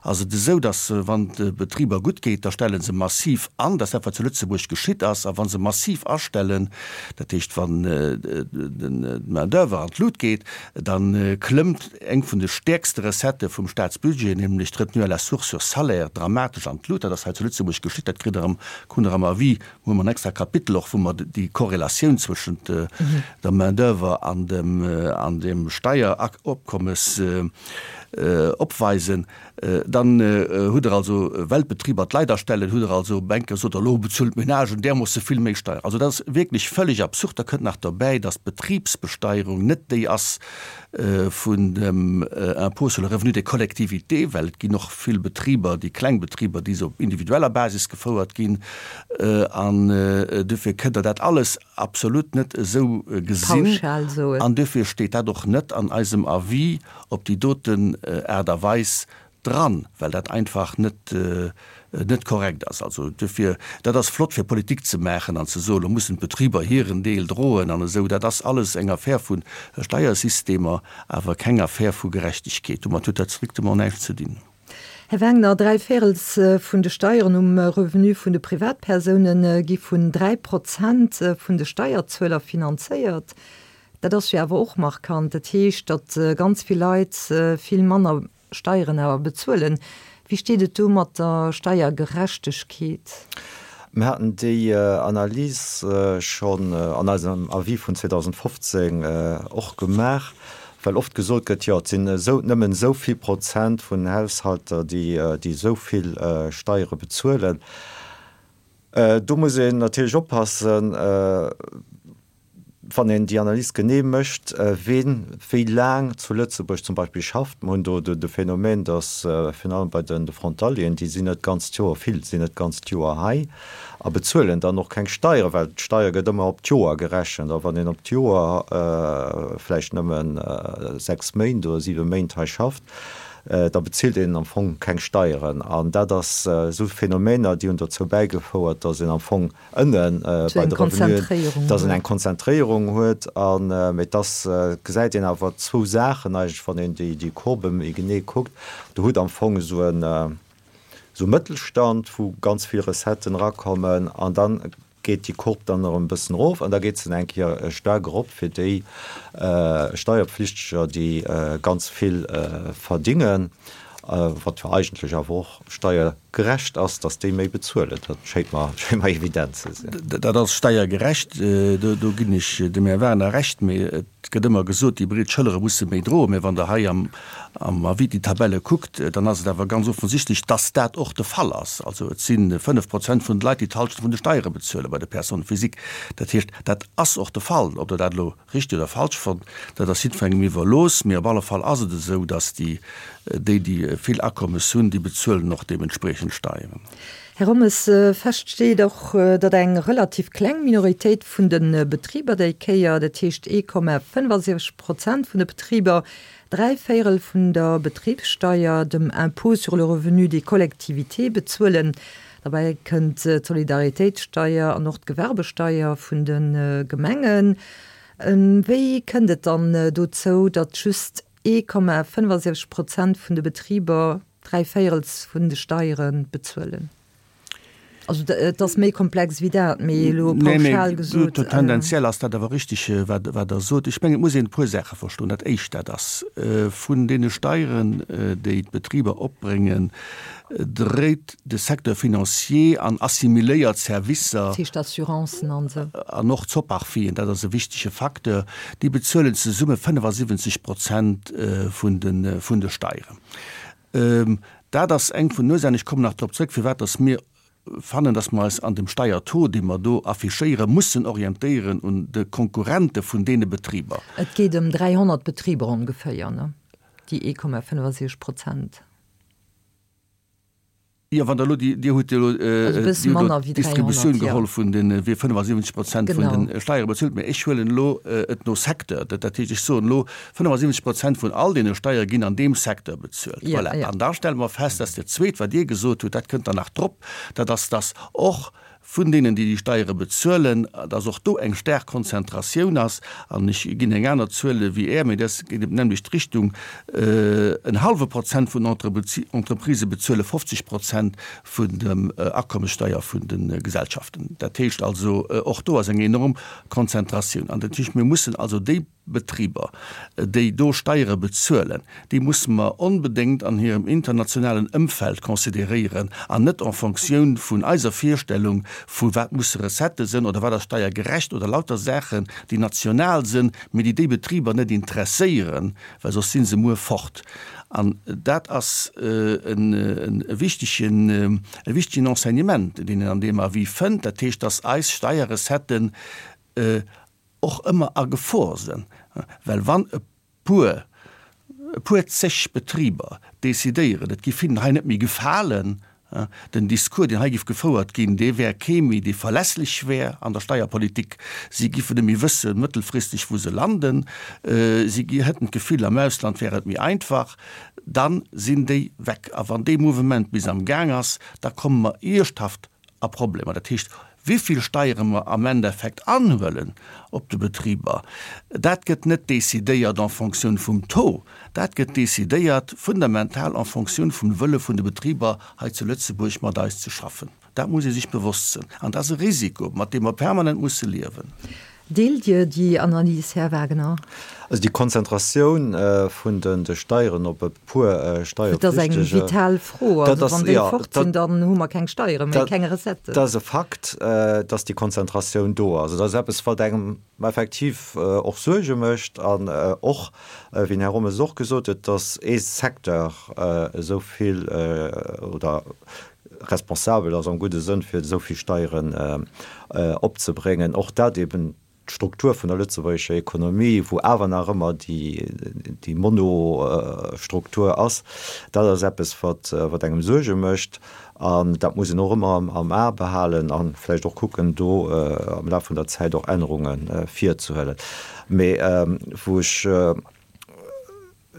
ass et esou, datt wann de Betriber gutt geet, da stelle se massiv an. Dat ass dat, wat zu Lëtzebuerg geschitt ass. A wa se massiv astellen, dat heescht, wann d'Main-d'oeuvre an d'Lut geet, da klëmmt eng vun de stäerkste Recettë vum Staatsbudget, nämlech d'Retenue à la source sur salaire, dramatesch an d'Lut. Dat ass hei zu Lëtzebuerg geschitt. Dat kritt Der am, krut Der am Avis, hu mer en extra Kapitel och, wou mer déi Korrelatioun zwëschent der Main-d'oeuvre an dem, an dem Steieropkommes opweisen. Dann hutt Der also, well d'Betriber d'Leit astellen, hutt Der also op eng Kéier gesot, elo bezuelen d'Menagen därmoosse vill méi Steier. Also dat ass wierklech völlig absurd. Da kënnt nach derbäi, dass d'Betribsbesteierung net déi ass, vun dem Impôt sur le revenu des collectivités, well et ginn och vill Betriber, déi kleng Betriber, déi se op individueller Basis gefouert ginn. An duerfir kënnt Der dat alles absolut net esou gesinn. An duerfir steet dat och net an eisem Avis op déi doten Aart a Weis dran, well dat einfach net net korrekt ass. Also duerfir, dat ass flott fir Politik ze maachen an ze soen, lo mussen d'Betriber hiren Deel droen an esou. Dat ass alles eng Affär vu Steiersystemer, awer keng Affär vu Gerechtegkeet. Domat huet dat strictement näischt ze dinn. Här Wengner, dräi Véirels vun de Steieren um Revenu vun de Privatpersoune gi vun 3 Prozent vun de Steierzueler finanzéiert. Dat ass jo awer och markant. Dat heescht, datt ganz vill Leit vill manner Steieren awer bezuelen. Wéi steet et do mat der Steiergerechtegkeet? Mir haten déi Analys schonn an eisem Avis vun 2015 och gemaach, well oft gesot gëtt, jo et sinn esou nëmmen esou vill Prozent vun Haushalter, déi esou vill Steiere bezuelen. Do muss een natierlech oppassen, wann een déi Analys genee mécht, ween wéi laang zu Lëtzebuerg zum Beispill schafft. Mer hunn do de Phänomen, datt virun allem bei de Frontalieren, déi sinn net d'ganzt Joer, vill sinn net d'ganzt Joer hei a bezuelen dann och keng Steieren, well d'Steier gëtt ëmmer op d'Joer gerechent. A wann een op d'Joer vläicht nëmme 6 Méint oder 7 Méint hei schafft, da bezilt een am Fong keng Steieren. An dat ass esou Phänomener, déi hunn dozou bäigefouert, datt een am Fong ënne bei de Revenuen, dass en eng Konzentréierung huet. An, mee et ass, gesäit een awer zwou Saachen eigentlech, wann een déi, déi Courbe méi genee kuckt. Do hutt am Fong esou en, esou e Mëttelstand, wou ganz vill Recetten erakommen an dann geet déi Courbe dann erëm e bëssen erof an da geet se eng Kéier staark erop fir déi Steierpflichteger, déi ganz vill verdingen, wat jo eigentlech awer och steiergerecht ass, datt déi méi bezuelen. Dat schéint mer, schéint mer evident ze sinn. Dat ass steiergerecht, do ginn ech dem Här Werner Recht. Mee et gëtt ëmmer gesot, déi breet Schëllere musse méi droen. Mee wann Der hei am Avis déi Tabelle kuckt, dann ass et awer ganz offensichtlech, datt dat och de Fall ass. Also et si 5 Prozent vun de Leit, déi d'Hallschent vun de Steiere bezuelen bei de Personnes physiques. Dat heescht, dat ass och de Fall. Ob Der dat elo Richteg oder falsch fonnt, dat ass jiddwerengem iwwerlooss, mee op alle Fall ass et esou, datt déi, déi, déi vill Akommes hunn, déi bezuelen och deementspriechend Steieren. Här Rommes, fest steet och, datt eng relativ kleng Minoritéit vun de Betriber déi Kéier, dat heescht 1,75 Prozent vun de Betriber, dräivéierel vun der Betribssteier, dem Impôt sur le revenu des collectivités, bezuelen. Derbäi kënnt d'Solidaritéitssteier an och d'Gewerbesteier vun de Gemengen. Wéi kënnt et dann dozou, datt just 1,75 Prozent vun de Betriber dräivéierels vun de Steiere bezuelen? Also et ass méi komplex wéi dat, mee elo pauschal gesot. Tendenziell ass dat awer richteg, wat Der sot. Ech mengen, et muss een e puer Saache verstoen. Dat Éischt, dat ass, vun deene Steieren, déi d'Betriber opbréngen, dréit de Secteur financier an assimiléiert Servicer, Dat heescht Assurancen an esou. An och d'Soparfien, dat ass e wichtege Facteur, déi bezuelen zesumme 75 Prozent vun de vun de Steieren. Dat ass eng vun den Ursachen, ech kommen nach drop zrëck, firwat dass mir fannen, dass mer eis an dem Steiertaux, dee mer do affichéieren, mussen orientéieren un de Konkurrente vun deene Betriber. Et geet ëm 300 Betriber ongeféier, ne? Déi 1,65 Prozent. Jo, wann Der elo déi, Dir hutt jo elo d'Distributioun geholl vun de wie 75 Prozent vun de Steiere bezuelt, mä ech huelen elo et no Secteur. Dat heescht, ech soen elo, 75 Prozent vun all deene Steiere ginn an deem Secteur bezuelt. Voilà. An da stelle mer fest, dass dat Zweet, wat Dir gesot hutt, dat kënnt dann nach drop, dat ass, dass och vun deenen, déi déi Steiere bezuelen, dass och do eng staark Konzentratioun ass, an ech ginn eng aner Zuel wéi Är, mee dat geet an d'nämmlecht Richtung, en hallwe Prozent vun den Entreprisë bezuele 50 Prozent vun dem Akommessteier vun de Gesellschaften. Dat heescht also, och do ass eng enorm Konzentratioun. An dat heescht, mir mussen also déi Betriber, déi do Steiere bezuelen, déi musse mer onbedéngt an hirem internationalen Ëmfeld consideréieren an net en Fonctioun vun eiser Virstellung vu wat musse Recettë sënn oder wat ass steiergerecht oder lauter Saachen, déi national sënn, mee déi déi Betriber net interesséieren, well soss si se muer fort. An dat ass e wichtegen, e wichtegen Enseignement, deen een an deem Avis fënnt. Dat heescht, dass eis Steierrecetten och ëmmer a Gefor sënn, well wann e puer, e puer zeg Betriber decidéieren, et giff hinnen hei net méi gefalen, den Discours, deen hei giff gefouert ginn, dee wär kee méi, dee verlässlech wär an der Steierpolitik, si giffen net méi wëssen, mëttelfristeg, wou se landen, si hätten d'Gefill, am Ausland wär et méi einfach, dann sinn déi weg. A wann dee Mouvement bis am Gaang ass, da komme mer iergschthaft a Problemer. Dat heescht, wéi vill Steiere mer am Endeffekt anhuelen op de Betriber, dat gëtt net decidéiert en Fonctioun vum Taux, dat gëtt decidéiert fundamental en Fonctioun vum Wëlle vun de Betriber hei zu Lëtzebuerg mat eis ze schaffen. Dat muss ee sech bewosst sinn. An dat ass e Risiko, mat deem mer permanent musse liewen. Deelt Dir déi Analys, Här Wagner? Also déi Konzentratioun vun de Steieren op e puer Steierpflichtege. Dat ass eng vital Fro. Also wann déi fort sinn, dann hu mer keng Steiere méi, keng Recetten. Dat ass e Fakt, dass déi Konzentratioun do ass. Dat ass eppes, wat engem effektiv och Suerge mécht an och, wéi den Här Rommes et och gesot huet, dass ee Secteur esou vill oder responsabel ass am gudde Sënn, fir esou vill Steieren opzebréngen. Och dat eben d'Struktur vun der lëtzebuergescher Ekonomie, wou awer nach ëmmer déi Monostruktur ass, dat ass eppes, wat engem Suerge mécht. An dat muss een och ëmmer am A behalen a vläicht och kucken, do am Laf vun der Zäit och Ännerunge virzehuelen. Mee wou ech,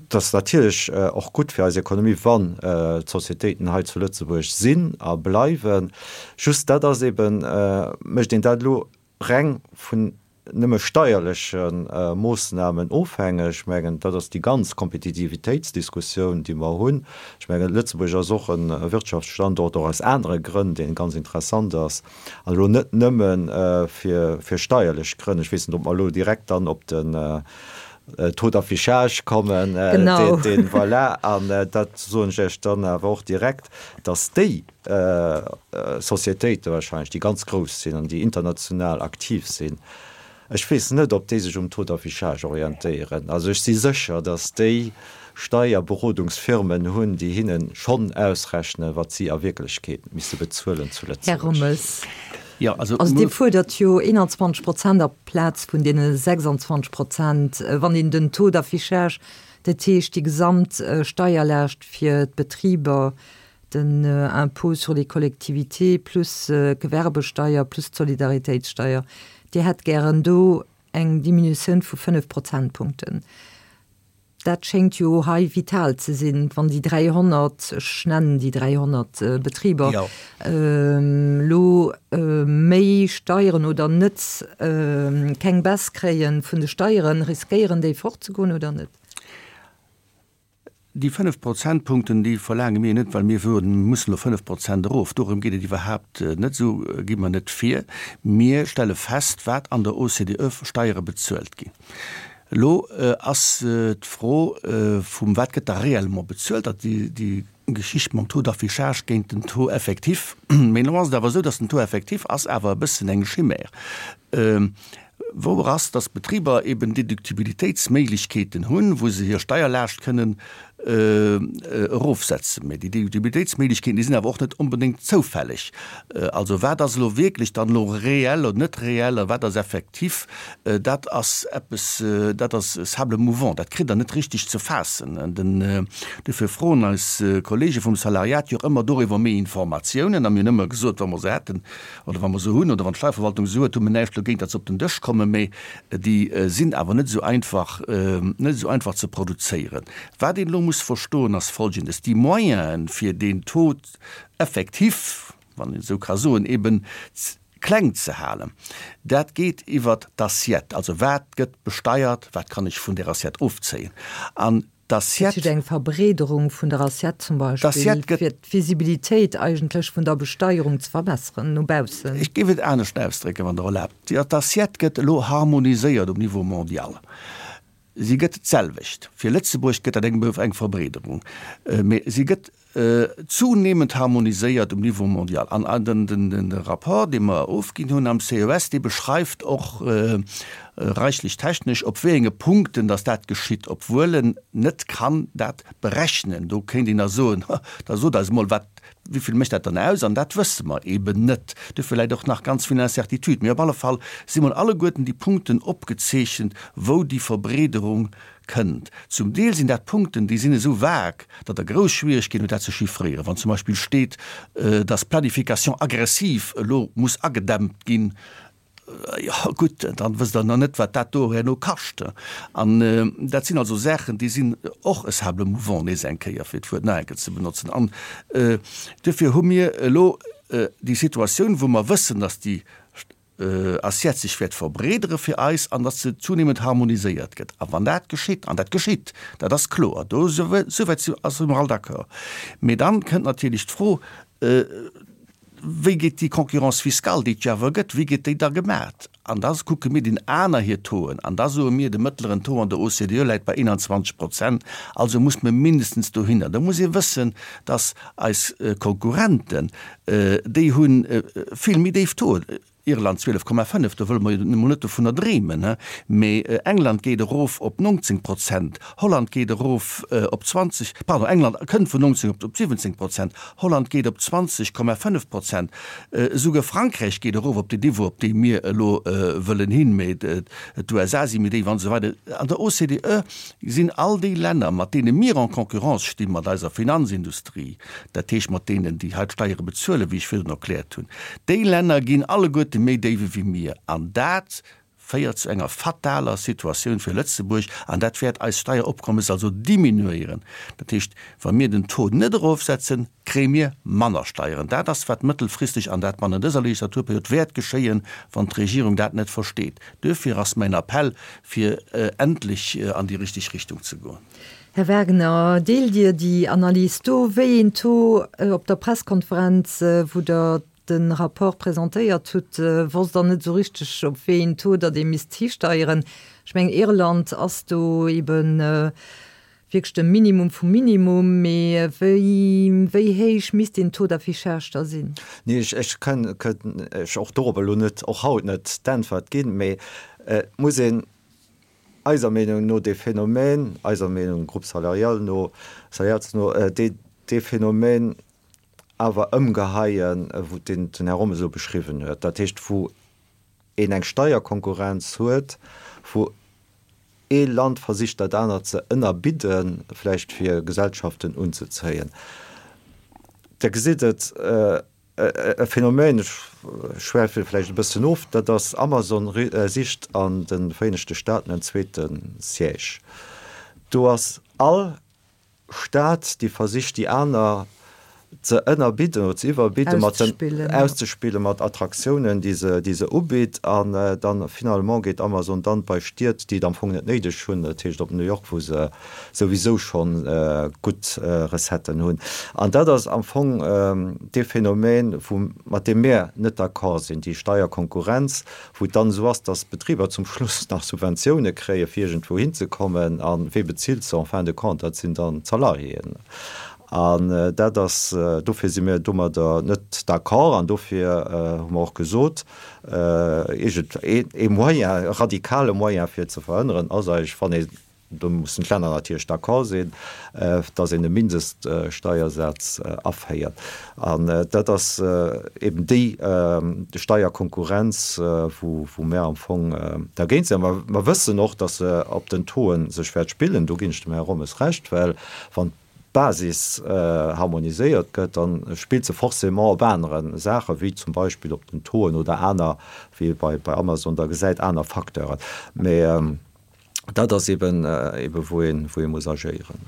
et ass natierlech och gutt fir eis Ekonomie, wann d'Sociétéiten hei zu Lëtzebuerg sinn a bleiwen. Just dat ass eeben, mécht een dat elo reng vun nëmme steierleche Moossnamen ofhängeg. Ech mengen, dat ass déi ganz Kompetitivitéitsdiskussioun, déi mer hunn. Ech mengen, Lëtzebuerg ass och e Wirtschaftsstandort, och aus anere Grënn, dee ganz interessant ass, an elo net nëmme fir steierlech Grënn. Ech weess net, ob mer elo direkt dann op den Taux d'affichage kommen, deen, voilà, an dat soen ech Iech dann awer och direkt, dass déi Sociétéite wahrscheinlech, déi ganz grouss sinn an déi international aktiv sinn, ech weess net, ob déi sech um Taux d'affichage orientéieren. Also ech si sécher, datt déi Steierberodungsfirmen hunn, déi hinne schonn ausrechnen, wat si a Wierklechkeet misse bezuelen zu Lëtzebuerg. Här Rommes, also Dir fuerdert jo 21 Prozent aplaz vun deene 26 Prozent, wann een den Taux d'affichage, dat heescht déi gesamt Steierlaascht fir d'Betriber, Den Impôt sur les collectivités plus d'Gewerbesteier plus d'Solidaritéitssteier, Dir hätt gären do eng Diminutioun vu 5 Prozentpunkten. Dat schéngt jo hei vital ze sinn, wann déi 300, ech nennen déi 300 Betriber, elo méi Steieren oder net, keng Baisse kréie vun de Steieren, riskéieren déi fortzegoen oder net? Déi 5 Prozentpunkten, déi verlaange mir net, well mir soen, mir mussen elo 5 Prozent erof. Dorëm geet et iwwerhaapt net. Esou gi mer net vir. Mir stelle fest, wat an der OCDE Steiere bezuelt ginn. Elo ass d'Fro vum, wat gëtt da réellement bezuelt, dat déi Geschicht mam Taux d'affichage géint den Taux effectif. Mee elo ass et awer esou, datt den Taux effectif ass awer e bëssen eng Chimère. Wouer ass, dass d'Betriber eben Deductibilitéitsméiglechkeeten hunn, wou se hir Steierlaascht kënnen erofsetzen. Mä déi Deductibilitéitsméiglechkeeten, déi sinn awer och net onbedéngt zoufälleg. Also wat ass elo wierklech dann elo reell oder net reell a wat ass effektiv, dat ass eppes, dat ass sable mouvant, dat kritt Der net richtig ze faassen. Dofir froen eis Kollege vum Salariat jo och ëmmer doriwwer méi Informatiounen a mir hunn ëmmer gesot, wa mer se hätten, oder wa mer se hunn, oder wann d'Steierverwaltung se huet, hu mer näischt dogéint, datt se op den Dësch kommen, mä déi sinn awer net esou einfach, net esou einfach ze produzéieren. Wat een elo muss verstoen, ass Folgendes, Déi Moyenen, fir deen Taux effectif, wann een esou ka soen, eben kleng ze halen, dat geet iwwert d'Assiette, also wat gëtt besteiert, wat kann ech vun där Assiette ofzéien. An D'Assiette. Dat heescht eng Verbreederung vun der Assiette zum Beispill, fir d'Visibilitéit eigentlech vun der Besteierung ze verbesseren no baussen. Ech géif et anescht ausdrécken, wann Der erlaabt. D'Assiette gëtt elo harmoniséiert um Niveau mondial. Si gëtt d'selwecht. Fir Lëtzebuerg gëtt dat eng Verbreederung, mä si gëtt zunehmend harmoniséiert um Niveau mondial. An de Rapport, dee mer ofginn hunn am CES, dee beschreift och reichlech technesch, op wéi enge Punkten datt dat geschitt, obwuel en net kann dat berechnen. Do kéint een da soen, Da sot eis emol, wat, wéi vill mécht dat dann aus? An dat wësse mer eeben net. Duerfir läit och nach ganz vill Incertitude. Mee op alle Fall si mol alleguerten déi Punkten opgezeechent, wou déi Verbreederung Kënnt. Zum Deel sinn dat Punkten, déi sinn esou vague, datt Der grouss Schwierigkeeten hutt, dat ze chiffréieren. Wann zum Beispill steet, datt d'Planification agressive elo muss agedämmt ginn, jo gutt, dann wësst Der nach net, wat dat do herno kascht. An dat sinn also Saachen, déi sinn och e sable mouvant, nees eng Kéier, fir d'Wuert nach eng Kéier ze benotzen. An duerfir hu mir elo déi Situatioun, wou mer wëssen, datt déi Assiette sech wäert verbreedere fir eis an datt se zunehmend harmoniséiert gëtt. A wann dat geschitt, an dat geschitt, dat ass kloer, do souwäit si mer all d'accord, mee dann kënnt natierlech d'Fro. Wéi geet déi Concurrence fiscale, déi et jo awer gëtt, wéi gëtt déi da gemat? An da kucke mir den aner hir Tauxen an da soe mir, de mëttleren Taux an der OCDE läit bei 21 Prozent, also muss mir mindestens dohinner. Da muss ee wëssen, dass eis Konkurrenten, déi hu vill méi déif Tauxen. Irland 12,5, do wëlle mer jo emol net dovunner dreemen, mee England geet erof op 19 Prozent, Holland geet erof op 20, pardon, England kënnt vun 19 op 17 Prozent, Holland geet op 20,5 Prozent, esouguer Frankräich geet erof op deen Niveau, op dee mir elo wëllen hin, mee d'USA si méi déif an esou weider. An der OCDE sinn all déi Länner, mat deene mir en concurrence sti mat eiser Finanzindustrie, dat heescht mat deenen, déi hei d'Steiere bezuelen, wéi ech virdrun erkläert hunn, déi Länner ginn alleguerte méi déif ewéi mir. An dat féiert zu enger fataler Situatioun fir Lëtzebuerg an dat wäert eist Steieropkommes also diminuéieren. Dat heescht, wa mir den Taux net erofsetzen, kréie mir manner Steieren. Dat ass, wat mëttelfristeg, an dat bannent dëser Legislaturperiod, wäert geschéien, wann d'Regierung dat net versteet. Duerfir ass mäin Appell, fir endlech an déi richteg Richtung ze goen. Här Wagner, deelt Dir déi Analys do, wéi een Taux op der Presskonferenz, wou Der de Rapport presentéiert hutt, wosst Der net esou richteg, op wéi een Taux datt ee misst histeieren? Ech mengen, Irland ass do ebe wierklech de Minimum vum Minimum, mee wéi, wéi héich misst deen Taux d'affichage da sinn? Nee, ech kënn Iech och dorop elo net, och haut net d'Äntwert ginn, mee et muss een eiser Meenung no dee Phänomen, eiser Meenung, Groupe salarial no, Salariats no, dee dee Phänomen awer ëmgeheien, wou deen den Här Rommes elo beschriwwen huet, dat heescht wou een eng Steierkonkurrenz huet, wou ee Land versicht dat anert ze ënnerbidden, vläicht fir Gesellschaften unzezéien. Der gesitt et, E Phänomen, ech schwäife vläicht e bëssen of, dat ass Amazon sicht an de Vereenegte Staaten en zweete Siège. Do ass all Staat, déi versicht déi aner ze ënnerbidden oder ze iwwerbidden, mat den, auszespillen mat Attraktiounen, déi se, déi se ubitt. An dann finalement geet Amazon dann bei Stied, déi et am Fong net néideg hunn, dat heescht op New York, wou se souwisou schonn gutt Recetten hunn. An dat ass am Fong dee Phänomen, wou, mat deem mir net d'accord sinn, déi Steierkonkurrenz, wou et dann esou ass, dass d'Betriber zum Schluss nach Subventioune kréie fir iergendwou hinzekommen. A wee bezilt se en fin de compte? Dat sinn dann d'Salariéen. An dat ass, dofir si mir domadder net d'accord an dofir hu mer och gesot, iergend ee Moyen, e radikale Moyen fir et ze verhënneren, ass eigentlech, wann ee Do mussen d'Länner natierlech d'accord sinn, dass een e Mindeststeiersaz aféiert. An dat ass eben déi Steierkonkurrenz, wou mär am Fong dergéint sinn. A mer wëssen och, dass se op den Tauxen sech wäert spillen. Do ginn ech dem Här Rommes Recht, well wann d'Basis harmoniséiert gëtt, da spillt se forcément op anere Saachen, wéi zum Beispill op den Tauxen oder aner, wéi ee bei Amazon da gesäit, aner Facteuren. Mä dat ass eben, eben wou een, wou ee muss agéieren.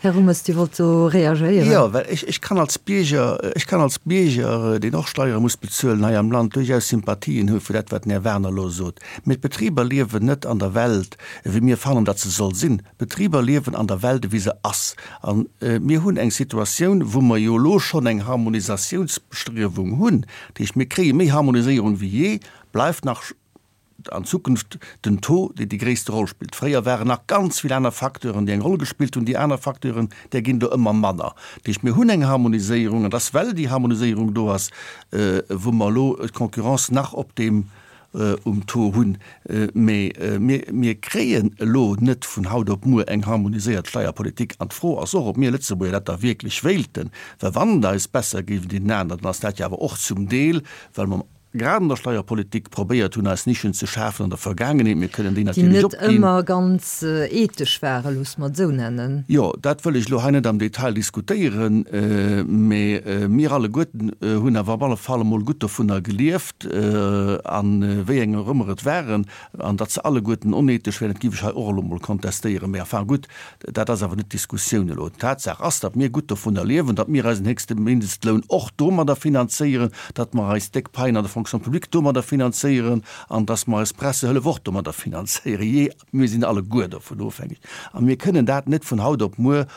Här Rommes, Dir wollt do reagéieren. Jo, well ech, ech kann als Bierger, ech kann als Bierger, deen och Steiere muss bezuelen hei am Land, duerchaus Sympathien hu fir dat, wat den Här Werner elo sot. Mee d'Betriber liewen net an der Welt, wéi mir fannen, datt se soll sinn. D'Betriber liewen an der Welt, ewéi se ass. A mir hunn eng Situatioun, wou mer jo elo schonn eng Harmonisatiounsbestriewung hunn. Dat heescht, mir kréie méi Harmoniséierung wéi jee, bleift nach an Zukunft den Taux, deen déi gréisste Roll spillt. Fréier waren nach ganz vill aner Facteuren, déi eng Roll gespillt hunn. Déi aner Facteuren, där ginn do ëmmer manner. Dat heescht, mir hunn eng Harmoniséierung, an dass, well déi Harmoniséierung do ass, wou mer elo d'Concurrence nach op deem, um Taux hunn. Mä mir, mir kréien elo net vun haut op muer eng harmoniséiert Steierpolitik. An d'Fro ass och, ob mir Lëtzebuerger dat da wierklech wéilten. Well wann et eis besser géif wéi deenen aneren, dann ass dat jo awer och zum Deel, well mer, grad an der Steierpolitik probéiert hunn, eis Nischen ze schafen an der Vergaangenheet. Mir kënnen déi Déi natierlech net opginn. ëmmer ganz ethesch waren, loosse mer et esou nennen. Jo, dat wëll ech elo hei net am Detail diskutéieren, mä mir alleguerten hunn awer op alle Fall emol gutt dovunner gelieft, a wéi eng och ëmmer et waren. An datt se alleguerten onethesch wären, dat géif ech hei och elo emol kontestéieren. Mä enfin gutt, dat ass awer net d'Diskussioun elo. Tatsaach ass, datt mir gutt dovunner liewen, datt mir eisen héchste Mindestloun och domadder finanzéieren, datt mer eis déck Paien an der Fonction publique domadder finanzéieren an datt mer eis Pressehëllef och domadder finanzéieren. Jee, mir sinn alleguer dovun ofhängeg a mir kënnen dat net vun haut op muer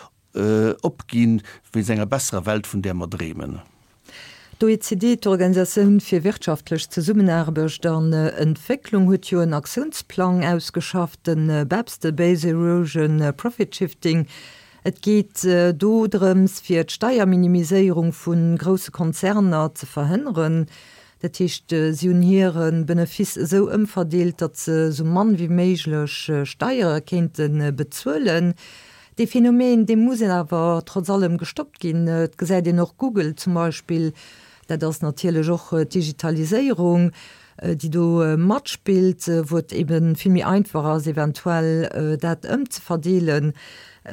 opginn, wéinst enger besserer Welt, vun där mer dreemen. D'OECD, d'Organisatioun fir wirtschaftlech Zesummenaarbecht an Entwécklung, huet jo en Aktiounsplang ausgeschafft, de BEPS, de Base Erosion Profit Shifting. Et geet do drëms, fir d'Steierminimiséierung vu grousse Konzerner ze verhënneren. Dat heescht, si hunn hire Benefice esou ëmverdeelt, datt se esou mann wéi méiglech Steiere kéinte bezuelen. Dee Phänomen, dee muss awer trotz allem gestoppt ginn. Et gesäit een och Google zum Beispill, dat ass natierlech och d'Digitaliséierung, déi do matspillt, wou et ebe vill méi einfach ass, eventuell dat ëmzeverdeelen.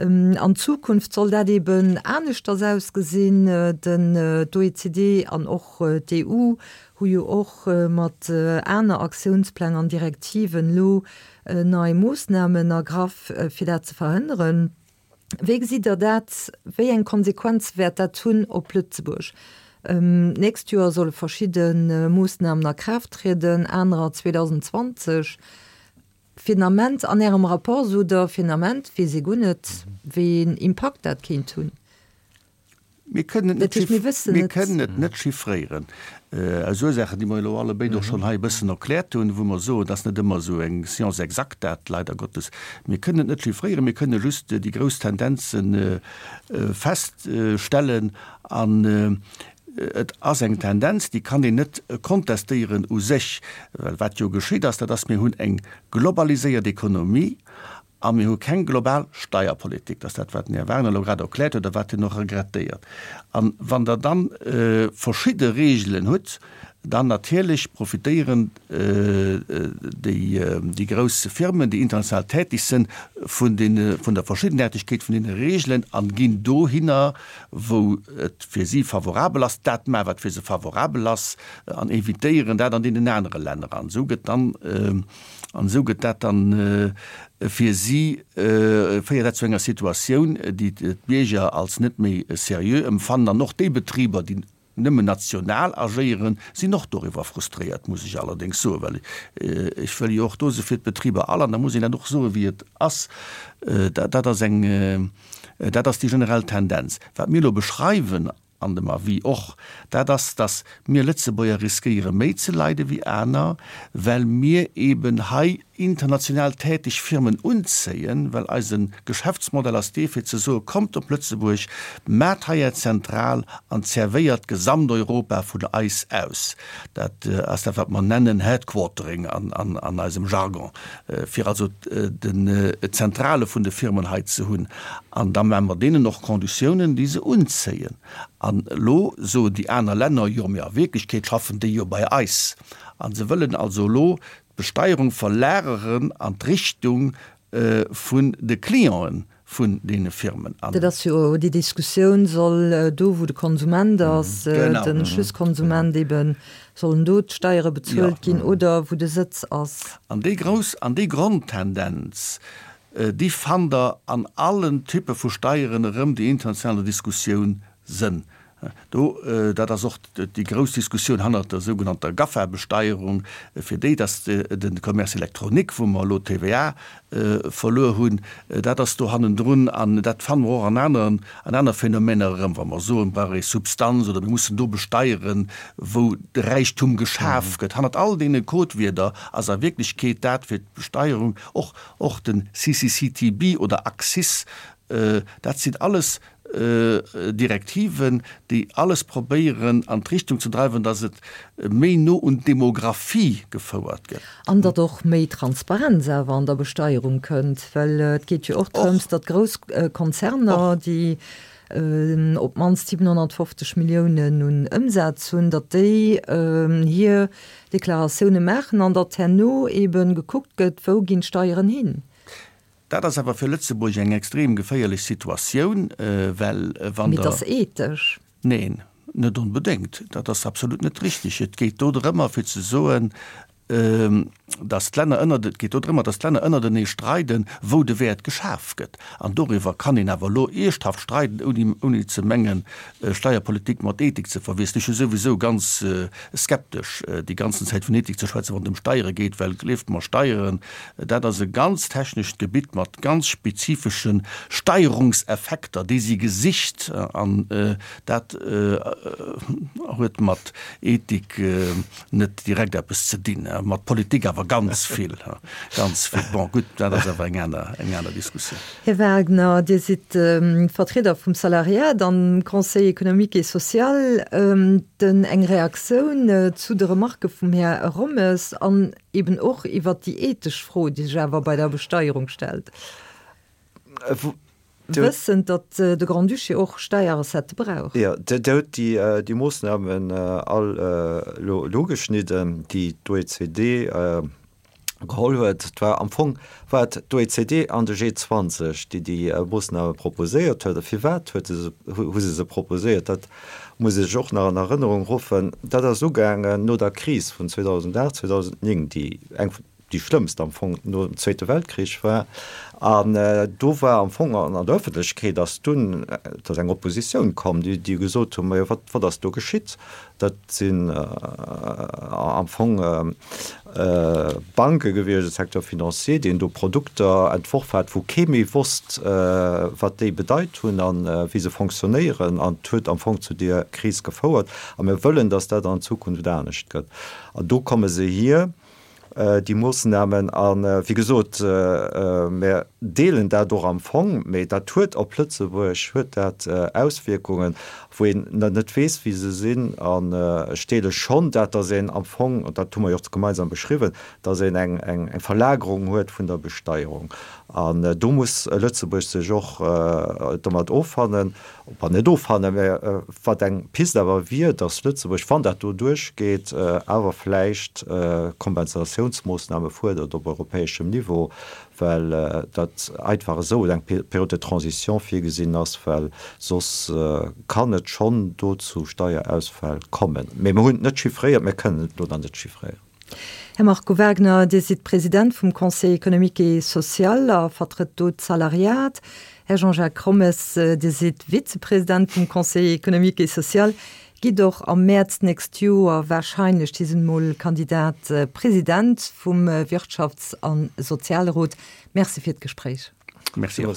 An Zukunft soll dat eben aneschters ausgesinn. Den, d'OECD an och d'EU hu jo och mat aner Aktiounspläng an Direktiven elo nei Moossnamen ergraff, fir dat ze verhënneren. Wéi gesitt Der dat? Wéi eng Konsequenze wäert dat hunn op Lëtzebuerg? D'nächst Joer solle verschidde Moossnamen a Kraaft trieden, anerer 2020. Fir den Ament, an Ärem Rapport sot Der, fir den Ament weess ee guer net, wéi een Impakt dat kéint hunn. Mir kënnen et net, mir wëssen mir kënnen et net chiffréieren, aus Ursaachen, déi mer elo allebéid och schonn hei e bëssen erkläert hunn, wou mer soen, et ass net ëmmer esou eng Science exacte dat, leider Gottes. Mir kënnen et net chiffréieren, mir kënne just déi grouss Tendenze feststellen. An et ass eng Tendenz, déi kann een net kontestéieren u sech, well wat jo geschitt ass, dat ass, mir hunn eng globaliséiert Ekonomie A mir hu keng global Steierpolitik. Dat ass dat, wat den Här Wagner elo grad erkläert huet a wat hien och regrettéiert. A wann Der dann verschidde Regeln hutt, dann natierlech profitéieren déi grouss Firmen, déi international tätig sinn, vun deene, vun der Verschiddenaartegkeet vun deene Regeln a ginn dohinner, wou et fir si favorabel ass, dat maachen, wat fir se favorabel ass, an évitéieren dat an deenen anere Länner. An esou gëtt dann An esou gëtt dat dann fir si, féiert dat zu enger Situatioun, déi d'Bierger als net méi seriö emfannen. An och déi Betriber, déi nëmmen national agéieren, sinn och doriwwer frustréiert, muss ech allerdéngs soen, well ech wëll jo och do si fir d'Betriber all, an da muss een dat och soen, wéi et ass. Dat ass eng, dat ass déi generell Tendenz. Wat mir elo beschreiwen An dem Avis och, dat ass, dass mir Lëtzebuerger riskéiere méi ze leide wéi aner, well mir eben hei international täteg Firmen unzéien, well eise Geschäftsmodell ass dee fir ze soe kommt op Lëtzebuerg, maacht hei är Zentral an zervéiert Gesamteuropa vun eis aus. Dat ass dat wat mer nennen Headquartering an eisem Jargon, fir also d'Zentrale vun de Firmen hei ze hunn. An da maache mer deenen och Konditiounen, déi se unzéien. An elo soen déi aner Länner, jo, mee a Wierklechkeet schaffen déi jo bei eis. A se wëllen also elo d'Besteierung verlageren an d'Richtung vun de Clienten vun deene Firmen. Dat ass jo déi Diskussioun, soll do, wou de Konsument ass, de Schlusskonsument eben, sollen do d'Steiere bezuelt ginn oder wou de Sëtz ass? An déi grouss, an déi Grondtendenz, Déi fannt Der an allen Typpe vu Steieren erëm, déi international an der Diskussioun sënn. Do, dat ass och déi grouss Diskussioun hannert der sougenannter GAFA-Besteierung, fir déi, dass de Commerce électronique, wou mer elo d'TVA verluer hunn, dat ass do hannendrun. An dat fanne mer och an aneren, an aner Phänomener erëm, wa mer soen, brauch ee Substanz oder mir mussen do besteieren, wou de Räichtum geschaf gëtt. Hannert all deene Codewierder ass a Wierklechkeet dat fir d'Besteierung och Och den CCCTB oder Axis, dat sinn alles Direktiven, déi alles probéieren an d'Richtung ze dreiwen, datt et méi no un d'Demographie gefouert gëtt. An datt och méi Transparenz awer an der Besteierung kënnt, well et geet jo och drëms, datt grouss Konzerner, déi op d'mannst 750 Milliounen un Ëmsaz hunn, datt déi hir Deklaratioune maachen an datt herno ebe gekuckt gëtt, wou ginn d'Steieren hin. Dat ass awer fir Lëtzebuerg eng extrem geféierlech Situatioun, well wann Mee et Der. ass ethesch. Neen, net onbedéngt. Dat ass absolut net richtig. Et geet do drëmmer fir ze soen. Dass d'Länner ënnert, et geet do drëmmer, dass d'Länner ënnertenee streiden, wou de Wäert geschaf gëtt. An doriwwer kann een awer elo ierchthaft streiden, ouni, ouni ze mengen, Steierpolitik mat Ethik ze verwiesselen. Ech hu souwisou ganz skeptesch, déi ganzen Zäit vun Ethik ze schwätzen, wann et ëm Steiere geet, well gleeft mer, Steieren, dat ass e ganz technescht Gebitt mat ganz spezifesche Steierungseffekter, déi si gesicht an dat huet mat Ethik net direkt eppes ze dinn, mat Politik awer ganz vill, ganz vill. Bon, gutt, dat ass awer eng aner, eng aner Diskussioun. Här Wagner, Dir sidd Vertrieder vum Salariat am Conseil économique et social. Den eng Reaktioun zu de Remarquë vum Här Rommes an eben och iwwert déi ethesch Fro, déi sech awer bei der Besteierung stellt. Wëssend, datt de Grand-Duché och Steierrecettë brauch. Jo, Dir hutt déi Moossnamen all elo ugeschnidden, déi d'OECD geholl huet. Et war am Fong war et d'OECD an de G20, déi déi Moossname proposéiert huet. A firwat huet se, hu se se proposéiert? Dat muss ee sech och nach an Erënnerung ruffen. Dat ass ugaangen no der Kris vun 2008, 2009, déi eng vun déi schlëmmst am Fong nom Zweete Weltkrich war. An do war am Fong an der Ëffentlechkeet ass dunn, et ass eng Oppositioun komm, déi déi gesot hunn, majo wat wat ass do geschitt? Dat sinn am Fong Banke gewiescht, de Secteur financier, deen do Produkter entworf hat, wou kee méi wosst, wat déi bedeit hunn a wéi se fonctionnéieren. An et huet am Fong zu deer Kris gefouert. A mir wëllen, datt dat an Zukunft anescht gëtt. An do komme se hier. déi Moossnamen. A wéi gesot, mir deelen dat och am Fong, mee dat huet op Lëtzebuerg huet dat Auswierkungen, wou een net weess, wéi se sinn. An ech deele schonn dat, datt een am Fong, an dat hu mer jo och gemeinsam beschriwwen, datt een eng Verlagerung huet vun der Besteierung. An do muss Lëtzebuerg sech och domat offannen. Bon, net offannen, mä wat eng Pist awer wier, datt Lëtzebuerg, wann dat do duerchgeet, awer vläicht Kompensatiounsmoossname fuerdert op europäeschem Niveau, well dat einfach esou eng Période de transition virgesinn ass, well soss kann et schonn do zu Steierausfäll kommen. Mä mir hunn et net chiffréiert, mir kënnen et elo nach net chiffréieren. Här Marco Wagner, Dir sidd President vum Conseil économique et social a vertrëtt do d'Salariat. Här Jean-Jacques Rommes, Dir sidd Vizepresident vum Conseil économique et social, gitt och am Mäerz d'nächst Joer warscheinlech, Dir sidd emol Kandidat President vum Wirtschafts a Sozialrot. Merci fir d'Gespréich. Merci och.